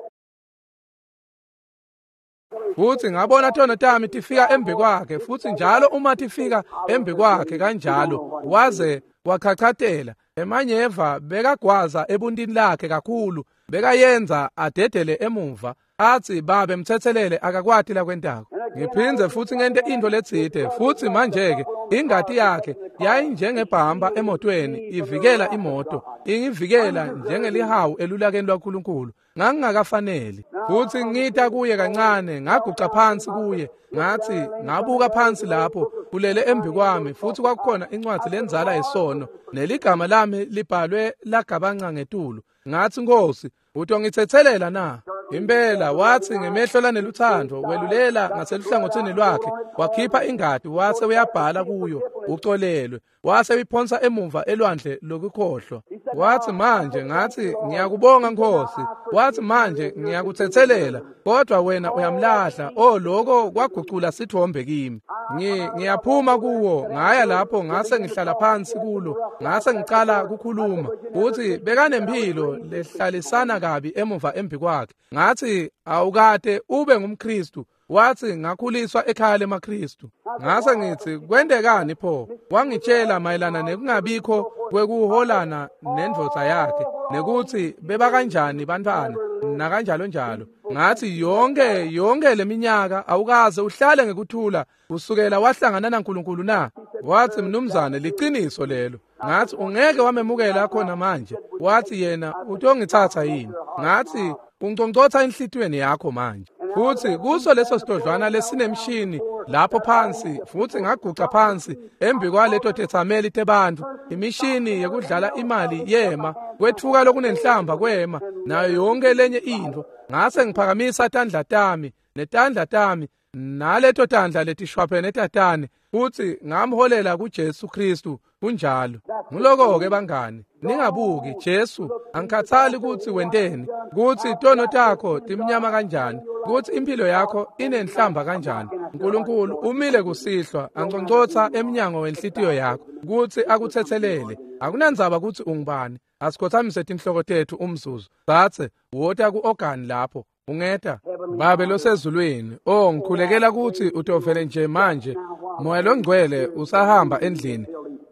Futsi ngabona tono tami tifika embi kwakhe, futsi njalo uma tifika embi kwakhe kanjalo waze wachachatela. Emanyeva bekagwaza ebuntini lakhe kakhulu, bekayenza adedele emuva, atsi babe mtsetselele akakwati lakwentako. Ngiphindze futsi ngente intfo letsite, futsi manje-ke ingati yakhe yayinjengebhamba emotweni ivikela imoto, ingivikela njengelihawu elulakeni lwaNkulunkulu. Ngangingakafaneli. Futsi ngita kuye kancane, ngaguca phansi kuye, ngathi ngabuka phansi lapho kulele embi kwami, futsi kwakukhona incwadzi lendzala yesono neligama lami libhalwe lagabanca ngetulu. Ngathi, Nkosi, utongitsetselela na? Impela wathi ngemehlo laneluthando welulela ngaseluhlangothini lwakhe, wakhipha ingati wase uyabhala kuyo ucolelwe, wase uyiphonsa emuva elwandle lokukhohlwa. Wathi manje, ngathi ngiyakubonga Nkosi. Wathi manje ngiyakuthethelela, kodwa wena uyamlahla. Oh, lokho kwagucula sithombe kimi. Ngi ngiyaphuma kuwo, ngaya lapho ngase ngihlala phansi kulo, ngase ngicala kukhuluma. Uthi bekanempilo lehlalisana kabi emuva embi kwakhe. Ngathi awukade ube ngumKristu. Wathi ngakhuliswa ekhaya lemaKristu. Ngase ngithi kwendekani pho? Wangitshela mayelana nekungabikho kwekuholana nendvodza yakhe, nekuthi beba kanjani bantwana nakanjalo njalo. Ngathi yonke yonke leminyaka awukaze uhlale ngekuthula kusukela wahlangana naNkulunkulu na? Wathi mnumzane liqiniso lelo. Ngathi ungeke wamemukela khona manje. Wathi yena utongithatha yini? Ngathi ungconcotha enhlitiyweni yakho manje. Futhi kuso leso sidodlwana lesinemshini lapho phansi, futhi ngaguca phansi embi kwaleto tethameli tebantu, imishini yekudlala imali yema, kwethuka lokunenhlamba kwema, nayo yonke lenye into. Ngase ngiphakamisa tandla tami netandla tami naleto tandla letishwaphene tatane, futhi ngamholela kuJesu Kristu. Kunjalo. Nguloko ke bangani, ningabuki Jesu. Angikhathali ukuthi wenteni, ukuthi tono takho timnyama kanjani, ukuthi impilo yakho inenhlamba kanjani. uNkulunkulu umile kusihlwa anconcotha emnyango wenhlitiyo yakho ukuthi akuthethelele. Akunandzaba ukuthi ungubani. Asikhothamise tinhloko tethu umzuzu. Sathe wota ku-organ lapho ungeta. Babe losezulwini, oh ngikhulekela ukuthi utovele nje manje. Moya longcwele usahamba endlini.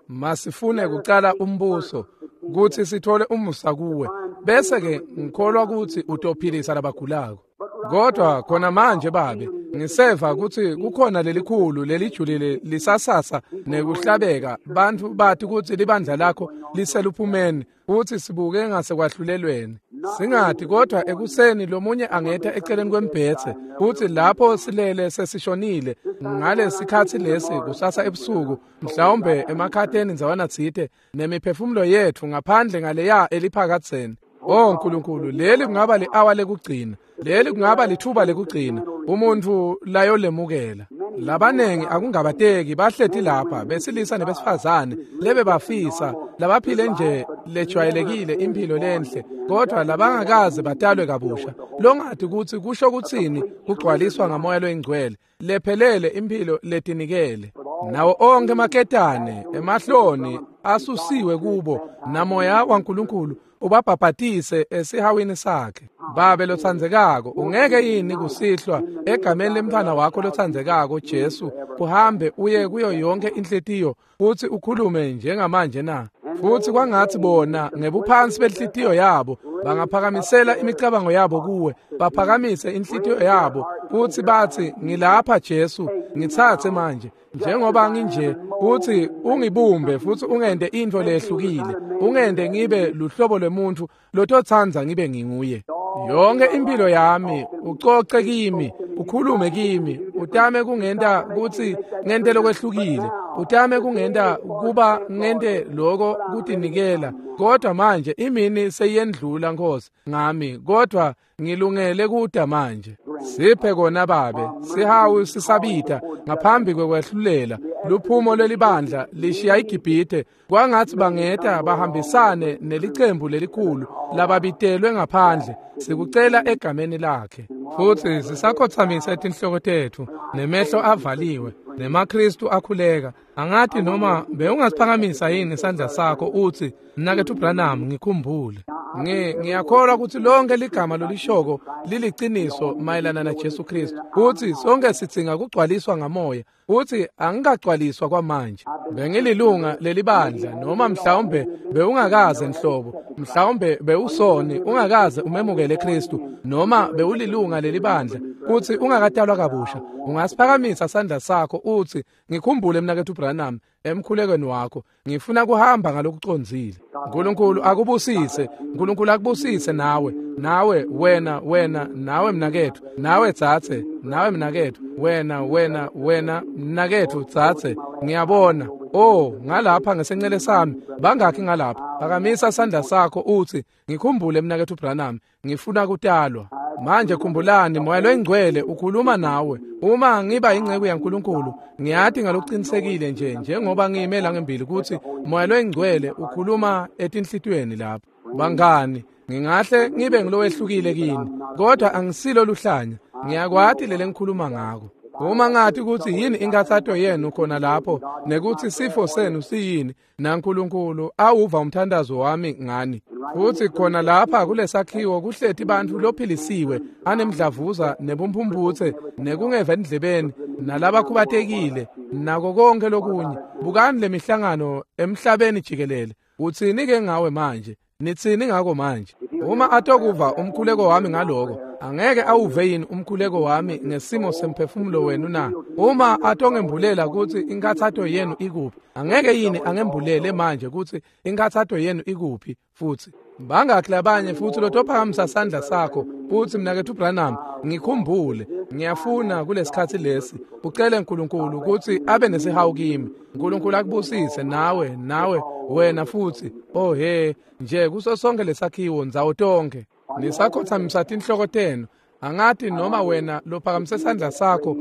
Masifune kucala umbuso ukuthi sithole umusa kuwe, bese ke ngikholwa ukuthi utophilisa labagulako. Kodwa khona manje babe, ngiseva ukuthi kukhona lelikhulu lelijulile lisasasa nekuhlabeka. Bantu bathi ukuthi libandla lakho liseluphumeni, futhi sibuke ngasekwahlulelweni. Singathi kodwa ekuseni lomunye angeta eceleni kwembhethe, futhi lapho silele sesishonile ngalesikhathi lesi kusasa ebusuku, mhlawumbe emakhatheni ndzawana tsite, nemiphefumulo yethu ngaphandle ngaleya eliphakadzeni. Oh Nkulunkulu, leli kungaba li-awa lekugcina, leli kungaba lithuba lekugcina umuntu layolemukela. Labanengi akungabateki bahleti lapha besilisa nebesifazane lebe bafisa labaphile nje lejwayelekile impilo lenhle, kodwa labangakaze batalwe kabusha, longathi ukuthi kusho kutsini kugcwaliswa ngamoya loyingcwele, lephelele impilo letinikele. Nawo onke emaketane emahloni asusiwe kubo, namoya waNkulunkulu ubabhabhatise esihawini sakhe. Babe lotsandzekako, ungeke yini kusihlwa egameni lemntfwana wakho lotsandzekako Jesu uhambe uye kuyo yonke inhlitiyo futhi ukhulume njengamanje na? Futhi kwangathi bona ngebuphansi benhlitiyo yabo bangaphakamisela imicabango yabo kuwe, baphakamise inhlitiyo yabo futhi bathi ngilapha Jesu, ngitsatse manje njengoba nginje, futhi ungibumbe futhi ungente intfo lehlukile, ungente ngibe luhlobo lwemuntu lototsanza ngibe nginguye. Yonke impilo yami ucoce kimi, ukhulume kimi, utame kungenta kutsi ngente lokwehlukile, utame kungenta kuba ngente lokho kutinikela. Kodwa manje imini seyendlula Nkosi ngami, kodwa ngilungele kuda manje. Siphe kona babe, sihawu sisabita ngaphambi kwekwehlulela. Luphumo lelibandla lishiya iGibhithe, kwangathi bangeta bahambisane nelicembu lelikhulu lababitelwe ngaphandle. Sikucela egameni lakhe. Futhi sisakhothamisa tinhloko tethu nemehlo avaliwe nemaKristu akhuleka. Angathi noma bewungasiphakamisa yini isandla sakho uthi mnakethu Branham ngikhumbule. Ngi ngiyakholwa ukuthi lonke ligama lolishoko liliciniso mayelana na Jesu Kristu, futhi sonke sidzinga kugcwaliswa ngamoya, futhi angikagcwaliswa kwamanje. Bengililunga lelibandla, noma mhlawumbe bewungakaze nhlobo, mhlawumbe bewusoni ungakaze umemukele Kristu, noma bewulilunga lelibandla futhi ungakatalwa kabusha. Ungasiphakamisa sandla sakho uthi ngikhumbule mnakethu Branham emkhulekweni wakho, ngifuna kuhamba ngalokucondzile. uNkulunkulu akubusise, uNkulunkulu akubusise nawe, nawe wena wena nawe mnakethu, nawe tsatse, nawe mnakethu, wena wena wena mnakethu tsatse. Ngiyabona oh ngalapha ngesencele sami bangakhi ngalapha. Phakamisa sandla sakho uthi ngikhumbule mnakethu Branham, ngifuna kutalwa. Manje khumbulani, Moya loyiNgcwele ukhuluma nawe. Uma ngiba inceku yaNkulunkulu, ngiyati ngalokuqinisekile nje njengoba ngime la ngembili kutsi Moya loyiNgcwele ukhuluma etinhlitiyweni lapha. Bangani, ngingahle ngibe ngilowehlukile kini, kodwa angisilo luhlanya. Ngiyakwati lele ngikhuluma ngako. Uma ngathi kutsi yini inkathato yenu khona lapho nekutsi sifo senu siyini, naNkulunkulu awuva umthandazo wami ngani. Futsi khona lapha kulesakhiwo kuhleti bantfu lophilisiwe anemdlavuza nebumphumputse nekungeva endlebeni nalabakhubatekile nako konke lokunye. Bukani lemihlangano emhlabeni jikelele. Utsini ke ngawe manje? Nitsini ngako manje? Uma atokuva umkhuleko wami ngaloko, angeke awuve yini umkhuleko wami ngesimo semphefumulo wenu na? Uma atongembulela kutsi inkathato yenu ikuphi, angeke yini angembulele manje kutsi inkathato yenu ikuphi? Futsi bangakhi labanye futsi lotophakamisa sandla sakho futsi mnaketfu Branham, ngikhumbule, ngiyafuna kulesikhatsi lesi ucele uNkulunkulu kutsi abe nesihawu kimi. uNkulunkulu akubusise nawe, nawe wena futsi. Oh he, nje kuso sonke lesakhiwo ndzawo tonke nisakhothamisa tinhloko tenu. Angati noma wena lophakamise sandla sakho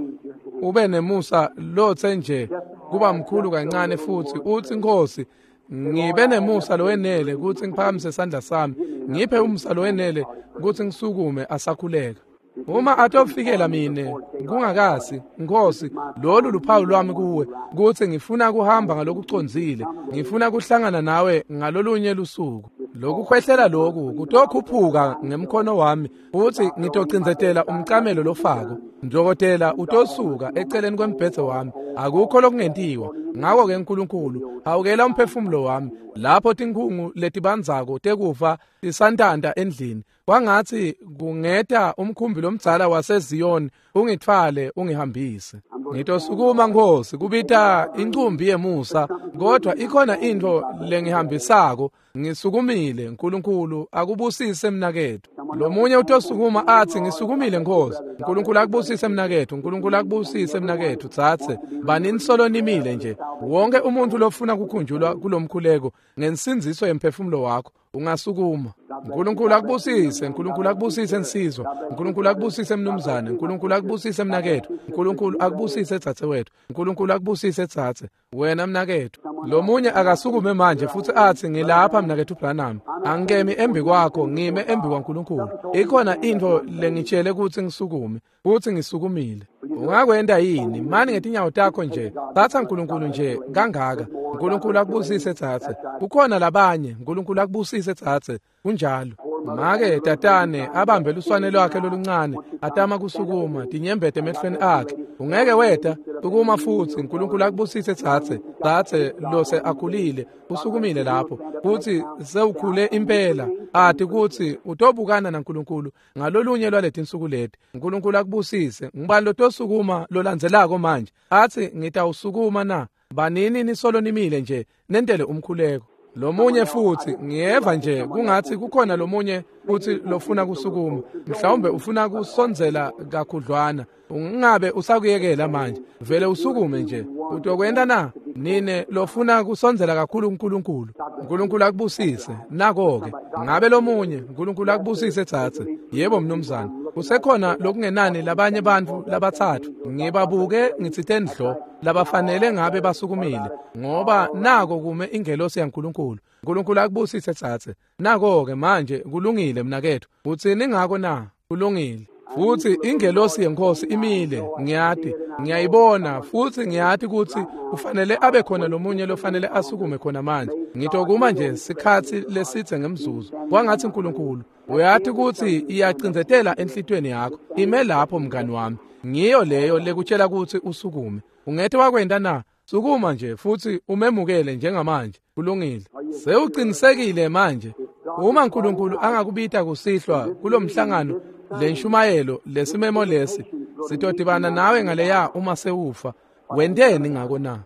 ube nemusa lotse nje kuba mkhulu kancane futsi utsi, Nkosi, ngibe nemusa lowenele kutsi ngiphakamise sandla sami, ngiphe umusa lowenele kutsi ngisukume asakhuleka. Uma atofikela mine kungakasi, Nkosi, lolu luphawu lwami kuwe kutsi ngifuna kuhamba ngalokucondzile, ngifuna kuhlangana nawe ngalolunye lusuku. Lokukhwehlela loku kutokhuphuka ngemkhono wami futsi ngitocindzetela umcamelo lofako. Dokotela utosuka eceleni kwembhedze wami, akukho lokungentiwa. Ngako-ke uNkulunkulu hawukela umphefumulo wami lapho tinkhungu letibandzako tekufa tisantanta endlini. Kwangatsi kungeta umkhumbi lomdzala waseZiyoni ungitfwale ungihambise. Ngitosukuma Nkosi kubita incumbi yemusa, kodwa ikhona intfo lengihambisako. Ngisukumile. uNkulunkulu akubusise mnaketfu. Lomunye utosukuma atsi, ngisukumile Nkosi. uNkulunkulu akubusise mnaketfu. uNkulunkulu akubusise mnaketfu. Tsatse banini solo nimile nje. Wonke umuntu lofuna kukhunjulwa kulomkhuleko ngensindziso yemphefumulo wakho ungasukuma. uNkulunkulu akubusise. uNkulunkulu akubusise nsizwa. uNkulunkulu akubusise mnumzane. uNkulunkulu akubusise mnaketfu. uNkulunkulu akubusise dzadzewetfu. uNkulunkulu akubusise dzadze wena mnaketfu. Lomunye akasukume manje futsi atsi, ngilapha mnaketfu Branham, angikemi embi kwakho, ngime embi kwaNkulunkulu. Ikhona intfo lengitshele kutsi ngisukume, futsi ngisukumile. Ungakwenta yini? Mani ngetinyawo takho nje. Tsatsa uNkulunkulu nje kangaka. uNkulunkulu akubusise dzadze. Kukhona labanye. uNkulunkulu akubusise dzadze. Kunjalo. Make tatane abambe luswane lwakhe loluncane, atama kusukuma, tinyembete emehlweni akhe. Ungeke weta, sukuma futsi. uNkulunkulu akubusise dzadze. Dzadze lose akhulile, usukumile lapho futsi sewukhule impela, ati kutsi utobukana naNkulunkulu ngalolunye lwaletinsuku leti. uNkulunkulu akubusise. Ngubani lotosukuma lolandzelako manje atsi, ngitawusukuma na? Banini nisolo nimile nje nentele umkhuleko. Lomunye futsi, ngiyeva nje kungatsi kukhona lomunye futsi lofuna kusukuma. Mhlawumbe ufuna kusondzela kakhudlwana. Ungabe usakuyekela manje, vele usukume nje. Utokwenta na? Nine lofuna kusondzela kakhulu uNkulunkulu. uNkulunkulu akubusise. Nako-ke ngabe lomunye. uNkulunkulu akubusise dzadze. Yebo mnumzane. Kusekhona lokungenani labanye bantfu labatsatfu ngibabuke ngitsite ndlo labafanele ngabe basukumile, ngoba nako kume ingelosi yaNkulunkulu. uNkulunkulu akubusise dzadze. Nako-ke manje kulungile mnaketfu. Utsini ngako na? Kulungile. Futsi ingelosi yeNkosi imile, ngiyati, ngiyayibona, futsi ngiyati kutsi kufanele abe khona lomunye lofanele asukume khona manje. Ngitokuma nje sikhatsi lesitse ngemzuzu. Kwangatsi uNkulunkulu uyati kutsi iyacindzetela enhlitiyweni yakho. Ime lapho mngani wami. Ngiyo leyo lekutshela kutsi usukume. Ungete wakwenta na? Sukuma nje futsi umemukele njengamanje. Kulungile. Sewuqinisekile manje. Uma uNkulunkulu angakubita kusihlwa kulomhlangano, lenshumayelo, lesimemo lesi, sitodibana nawe ngaleya uma sewufa. Wenteni ngako na?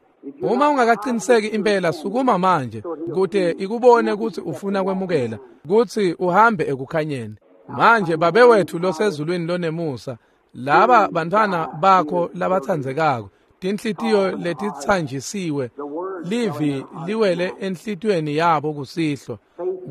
Uma ungakaqiniseki impela, sukuma manje kute ikubone kutsi ufuna kwemukela, kutsi uhambe ekukhanyeni. Manje Babe wethu losezulwini lonemusa, laba bantfwana bakho labatsandzekako, tinhlitiyo letitsanjisiwe, livi liwele enhlitiyweni yabo kusihlwa.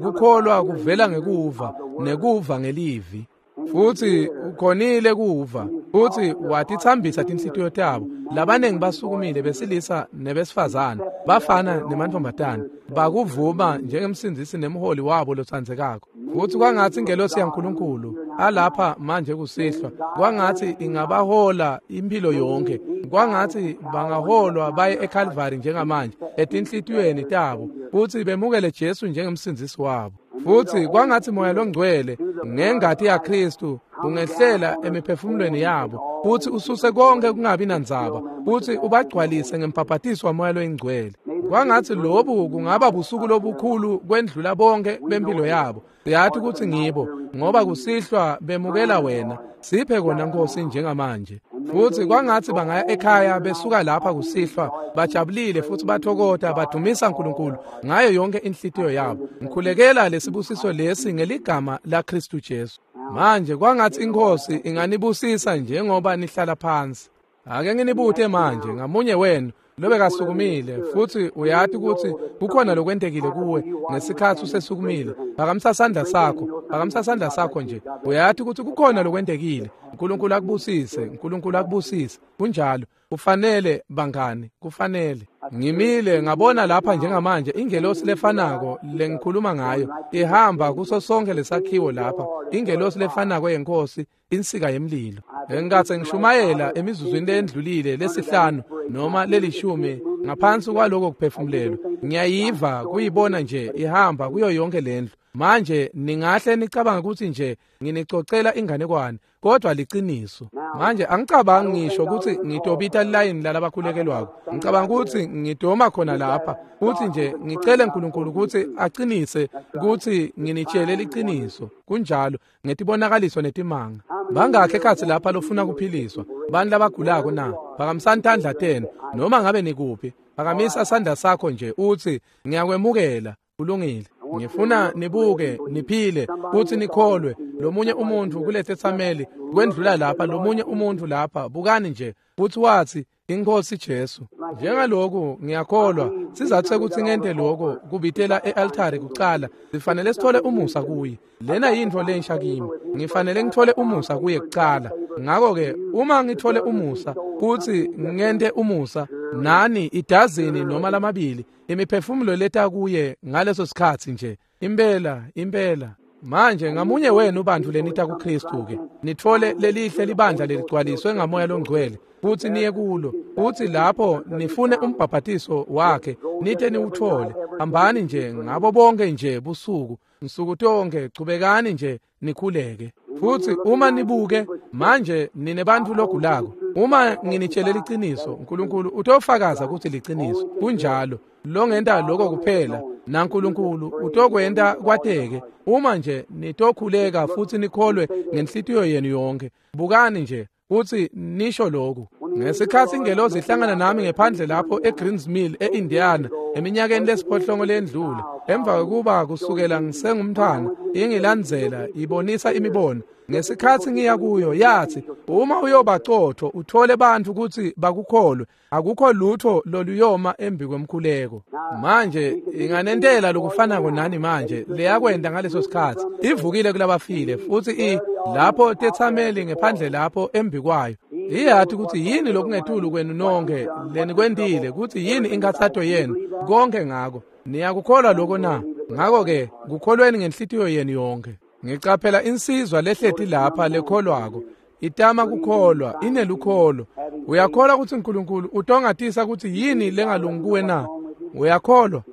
Kukholwa kuvela ngekuva, nekuva ngelivi. Futhi ukhonile kuva, futhi watitsambisa tinhlitiyo tabo. Labanengi basukumile besilisa nebesifazane, bafana nemantfombatane, bakuvuma njengemsindzisi nemholi wabo lotsandzekako. Futhi kwangatsi ingelosi yaNkulunkulu alapha manje kusihlwa, kwangatsi ingabahola impilo yonke, kwangatsi bangaholwa baye eKalvari njengamanje etinhlitiyweni tabo, futhi bemukele Jesu njengemsindzisi wabo. Futhi kwangatsi Moya loNgcwele ngengati yaKristu ungehlela emiphefumulweni yabo, futhi ususe konke kungabi nandzaba, futhi ubagcwalise ngembhabhatiso waMoya loyiNgcwele. Kwangatsi lobu kungaba busuku lobukhulu kwendlula bonke bempilo yabo. Siyathi kutsi ngibo, ngoba kusihlwa bemukela wena. Siphe kona Nkosi njengamanje. Futhi kwangatsi bangaya ekhaya besuka lapha kusihlwa bajabulile futhi bathokota badumisa uNkulunkulu ngayo yonke inhlitiyo yabo. Ngikhulekela lesibusiso lesi ngeligama laKristu Jesu. Manje kwangatsi iNkosi inganibusisa njengoba nihlala phansi. Ake nginibute manje ngamunye wenu lobekasukumile, futhi uyati ukuthi kukhona lokwentekile kuwe ngesikhathi usesukumile. Phakamisa sandla sakho, phakamisa sandla sakho nje. Uyati ukuthi kukhona lokwentekile. uNkulunkulu akubusise, uNkulunkulu akubusise. Kunjalo, kufanele bangani, kufanele. Ngimile ngabona lapha njengamanje ingelosi lefanako lengikhuluma ngayo ihamba kuso sonke lesakhiwo lapha, ingelosi lefanako yenkosi, insika yemlilo. Engatse ngishumayela emizuzwini lendlulile lesihlanu noma lelishumi ngaphansi kwaloko kuphefumulelwa. Ngiyayiva kuyibona nje ihamba kuyo yonke lendlu. Manje ningahle nicabanga ukuthi nje nginicocela inganekwane, kodwa liciniso. Manje angicabangi ngisho ukuthi ngitobita line lalabakhulekelwako. Ngicabanga ukuthi ngidoma khona lapha futhi nje ngicele uNkulunkulu ukuthi aqinise ukuthi nginitshele liciniso. Kunjalo ngetibonakaliso netimanga. Bangakhe ekhatsi lapha lofuna kuphiliswa, bani labagulako na? Phakamisani tandla tenu noma ngabe nikuphi. Phakamisa sandla sakho nje uthi ngiyakwemukela. Kulungile. Ngifuna nibuke, niphile, futhi nikholwe. Lomunye umuntu kulethethameli kwendlula lapha, lomunye umuntu lapha, bukani nje, futhi wathi iNkosi Jesu. Njengaloku ngiyakholwa, sizathu sekuthi ngente lokho kubitela e-altare kucala, sifanele sithole umusa kuye. Lena yintfo lensha kimi. Ngifanele ngithole umusa kuye kucala. Ngakho-ke uma ngithole umusa, kuthi ngente umusa nani idazini noma lamabili, imiphefumulo leta kuye ngaleso sikhathi nje. Impela, impela. Manje ngamunye wenu bantu lenita kuKristu ke, nithole lelihle libandla leligcwaliswe ngaMoya loNgcwele, futhi niye kulo, futhi lapho nifune umbhabhatiso wakhe, nite niwuthole. Hambani nje ngabo bonke nje busuku, nsuku tonke, chubekani nje nikhuleke. Futhi uma nibuke manje nine bantu logulako, uma nginitshele liciniso, uNkulunkulu utofakaza ukuthi liciniso. Kunjalo. Longenta lokho kuphela naNkulunkulu utokwenta kwateke uma nje nitokhuleka futhi nikholwe ngenhlitiyo yenu yonke. Bukani nje futhi nisho lokhu. Ngesikhathi ingelozi ihlangana nami ngephandle lapho eGreens Mill eIndiana eminyakeni lesiphohlongo lendlule, emva kokuba kusukela ngisengumntwana ingilandzela ibonisa imibono. Ngesikhathi ngiya kuyo yathi, uma uyobacotho uthole bantu ukuthi bakukholwe, akukho lutho loluyoma embi kwemkhuleko. Manje inganentela lokufanako nani manje leyakwenda ngaleso sikhathi. Ivukile kulabafile futhi i lapho tethameli ngephandle lapho embi kwayo. Iyathi ukuthi yini lokungetulu kwenu nonke lenikwentile, ukuthi yini inkathato yenu konke ngako. Niyakukholwa lokho na? Ngakho-ke kukholweni ngenhlitiyo yenu yonke. Ngicaphela insizwa lehleti lapha lekholwako, itama kukholwa, inelukholo. Uyakholwa ukuthi uNkulunkulu utongatisa ukuthi yini lengalungi kuwe na? Uyakholwa?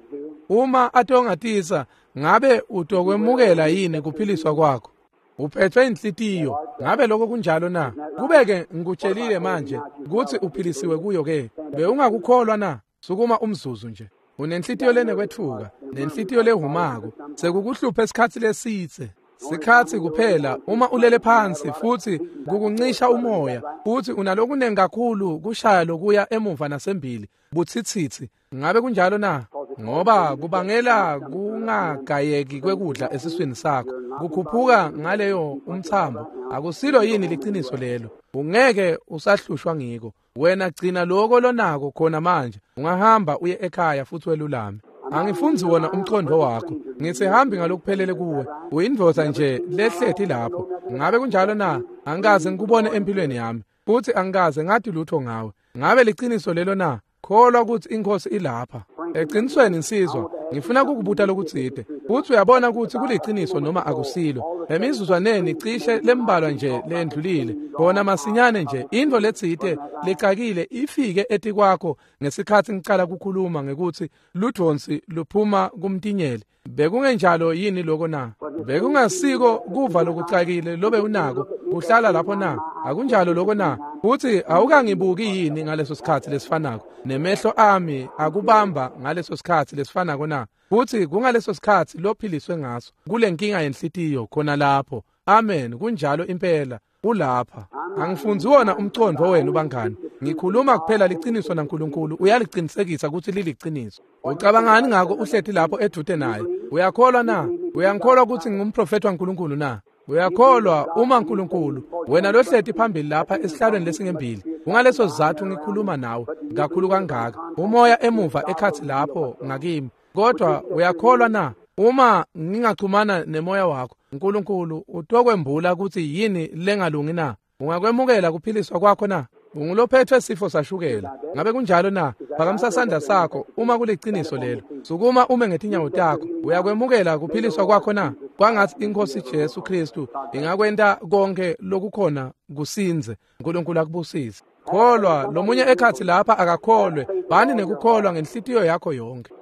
Uma atongatisa, ngabe utokwemukela yini kuphiliswa kwakho? Uphethwe inhlitiyo, ngabe lokho kunjalo na? Kubeke ngikutshelile manje ukuthi uphilisiwe kuyo ke. Bewungakukholwa na? Sukuma umzuzu nje. Unenhlitiyo lenekwethuka, nenhlitiyo lehumako, sekukuhlupha esikhathi lesitse. Sikhathi kuphela uma ulele phansi futhi kukuncisha umoya, futhi unalokunengi kakhulu kushaya lokuya emuva nasembili, butsitsitsi. Ngabe kunjalo na? Ngoba kubangela kungagayeki kwekudla esiswini sakho, kukhuphuka ngaleyo umthambo. Akusilo yini liciniso lelo? Ungeke usahlushwa ngiko. Wena gcina lokho lonako khona manje. Ungahamba uye ekhaya futhi welulame. Angifundzi wona umqondo wakho. Ngisihambi ngalokuphelele kuwe. Uyindvodza nje lehleti lapho. Ngabe kunjalo na? Angikaze ngikubone empilweni yami. Futhi angikaze ngathi lutho ngawe. Ngabe liciniso lelo na? Kholwa ukuthi inkosi ilapha. Eqinisweni insizwa, ngifuna ukukubuta lokutsite. Futhi uyabona ukuthi kuliciniso noma akusilo. Emizuzwaneni cishe lembalwa nje lendlulile. Khona masinyane nje into letsite lecakile ifike etikwakho ngesikhathi ngicala ukukhuluma ngekuthi ludvonsi luphuma kumtinyeli. Bekungenjalo yini lokho na? Bekungasiko kuva lokucakile lobe unako kuhlala lapho na? Akunjalo lokho na? Futhi awukangibuki yini ngaleso sikhathi lesifanako? Nemehlo ami akubamba ngaleso sikhathi lesifanako na? Futhi kungaleso sikhathi lophiliswe ngaso kule nkinga yenhlitiyo khona lapho. Amen, kunjalo impela. Ulapha. Angifundzi wona umqondo wenu bangani. Ngikhuluma kuphela liciniso naNkulunkulu uyaliqinisekisa ukuthi liliciniso. Ucabangani ngako uhleti lapho edude naye? Uyakholwa na? Uyangikholwa ukuthi ngingumprofeti waNkulunkulu na? Uyakholwa uma uNkulunkulu wena lohleti phambili lapha esihlalweni lesingembili. Kungaleso sizathu ngikhuluma nawe kakhulu kangaka. Umoya emuva ekhathi lapho ngakimi. Kodwa uyakholwa na? Uma ngingachumana nemoya wakho, uNkulunkulu utokwembula ukuthi yini lengalungi na? Ungakwemukela kuphiliswa kwakho na? Ungulophethwe sifo sashukela. Ngabe kunjalo na? Phakamisa sandla sakho uma kuliciniso lelo. Sukuma ume ngetinyawo takho. Uyakwemukela kuphiliswa kwakho na? Kwangathi inkosi Jesu Kristu ingakwenta konke lokukhona kusinze. uNkulunkulu akubusise. Kholwa lomunye ekhathi lapha akakholwe. Bani nekukholwa ngenhlitiyo yakho yonke.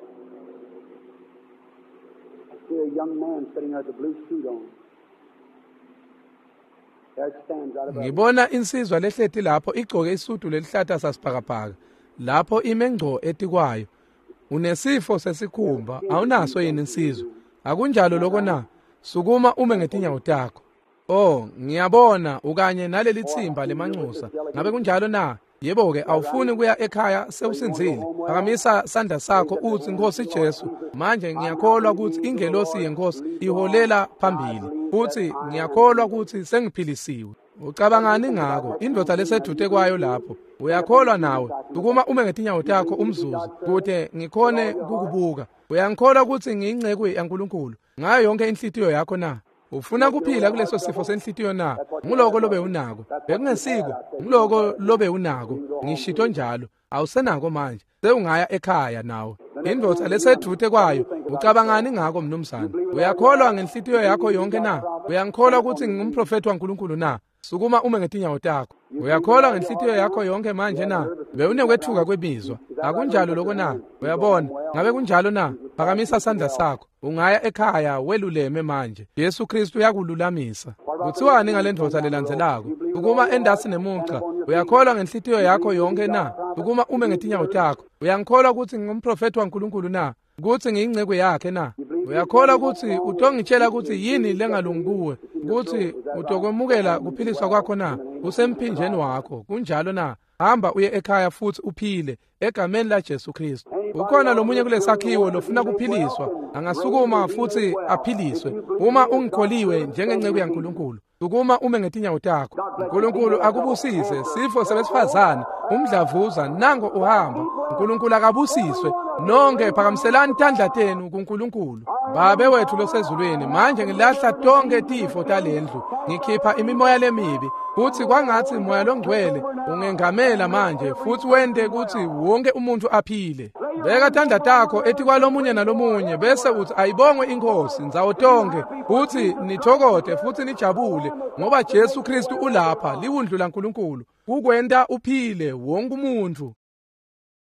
A young man sitting there with a blue suit on. There it stands right above. Ngibona insizwa lehleti lapho igcoke isudu lelihlata sasibhakabhaka. Lapho ime ngco etikwayo. Unesifo sesikhumba, awunaso yini insizwa? Akunjalo lokho na? Sukuma ume ngetinyawo takho. Oh, ngiyabona ukanye naleli thimba lemanxusa. Ngabe kunjalo na? Yebo ke, awufuni kuya ekhaya sewusinzile. Phakamisa sandla sakho uthi Nkosi Jesu, manje ngiyakholwa ukuthi ingelosi yenkosi iholela phambili. Futhi ngiyakholwa ukuthi sengiphilisiwe. Ucabangani ngako? Indoda lesedude kwayo lapho. Uyakholwa nawe? Sukuma ume ngetinyawo takho umzuzu kude ngikhone kukubuka. Uyangikholwa ukuthi ngiyinceku yaNkulunkulu ngayo yonke inhlitiyo yakho na? Ufuna kuphila kuleso sifo senhlitiyo na? Nguloko lobe unako. Bekungesiko, nguloko lobe unako. Ngishito njalo. Awusenako manje. Sewungaya ekhaya nawe. Indoda lesedute kwayo, ucabangani ngako mnumzane? Uyakholwa ngenhlitiyo yakho yonke na? Uyangikholwa ukuthi ngingumprofeti waNkulunkulu na? Sukuma ume ngetinyawo takho. Uyakholwa ngenhlitiyo yakho yonke manje na? Bewunekwethuka kwemizwa. Akunjalo lokho na? Uyabona? Ngabe kunjalo na? Phakamisa sandla sakho. Ungaya ekhaya weluleme manje. Jesu Kristu uyakululamisa. Kuthiwani ngale ndoda lelandzelako? Ukuma endasi nemugca. Uyakholwa ngenhlitiyo yakho yonke na? Ukuma ume ngetinyawo takho. Uyangikholwa ukuthi ngingumprofeti waNkulunkulu na? Ukuthi ngiyinceku yakhe na? Uyakholwa ukuthi utongitshela ukuthi yini lengalungi kuwe? Ukuthi utokwemukela kuphiliswa kwakho na? Usemphinjeni wakho. Kunjalo na? Hamba uye ekhaya futhi uphile egameni la Jesu Kristu. Ukhona lomunye kulesakhiwo lofuna kuphiliswa, angasukuma futhi aphiliswe. Uma ungikholiwe njengenceku yaNkulunkulu, sukuma ume ngetinyawo takho. uNkulunkulu akubusise. Sifo sebesifazane, umdlavuza, nango uhamba. uNkulunkulu akabusiswe. Nonke phakamiselani tandla tenu kuNkulunkulu. Babe wethu losezulwini, manje ngilahla tonke tifo talendlu. Ngikhipha imimoya lemibi. Futhi kwangathi moya longcwele ungengamela manje futhi wente ukuthi wonke umuntu aphile. Beka tandla takho etikwalomunye nalomunye bese uthi ayibongwe inkosi ndzawo tonke, futhi nithokote futhi nijabule ngoba Jesu Kristu ulapha, liwundlu laNkulunkulu kukwenta uphile wonke umuntu.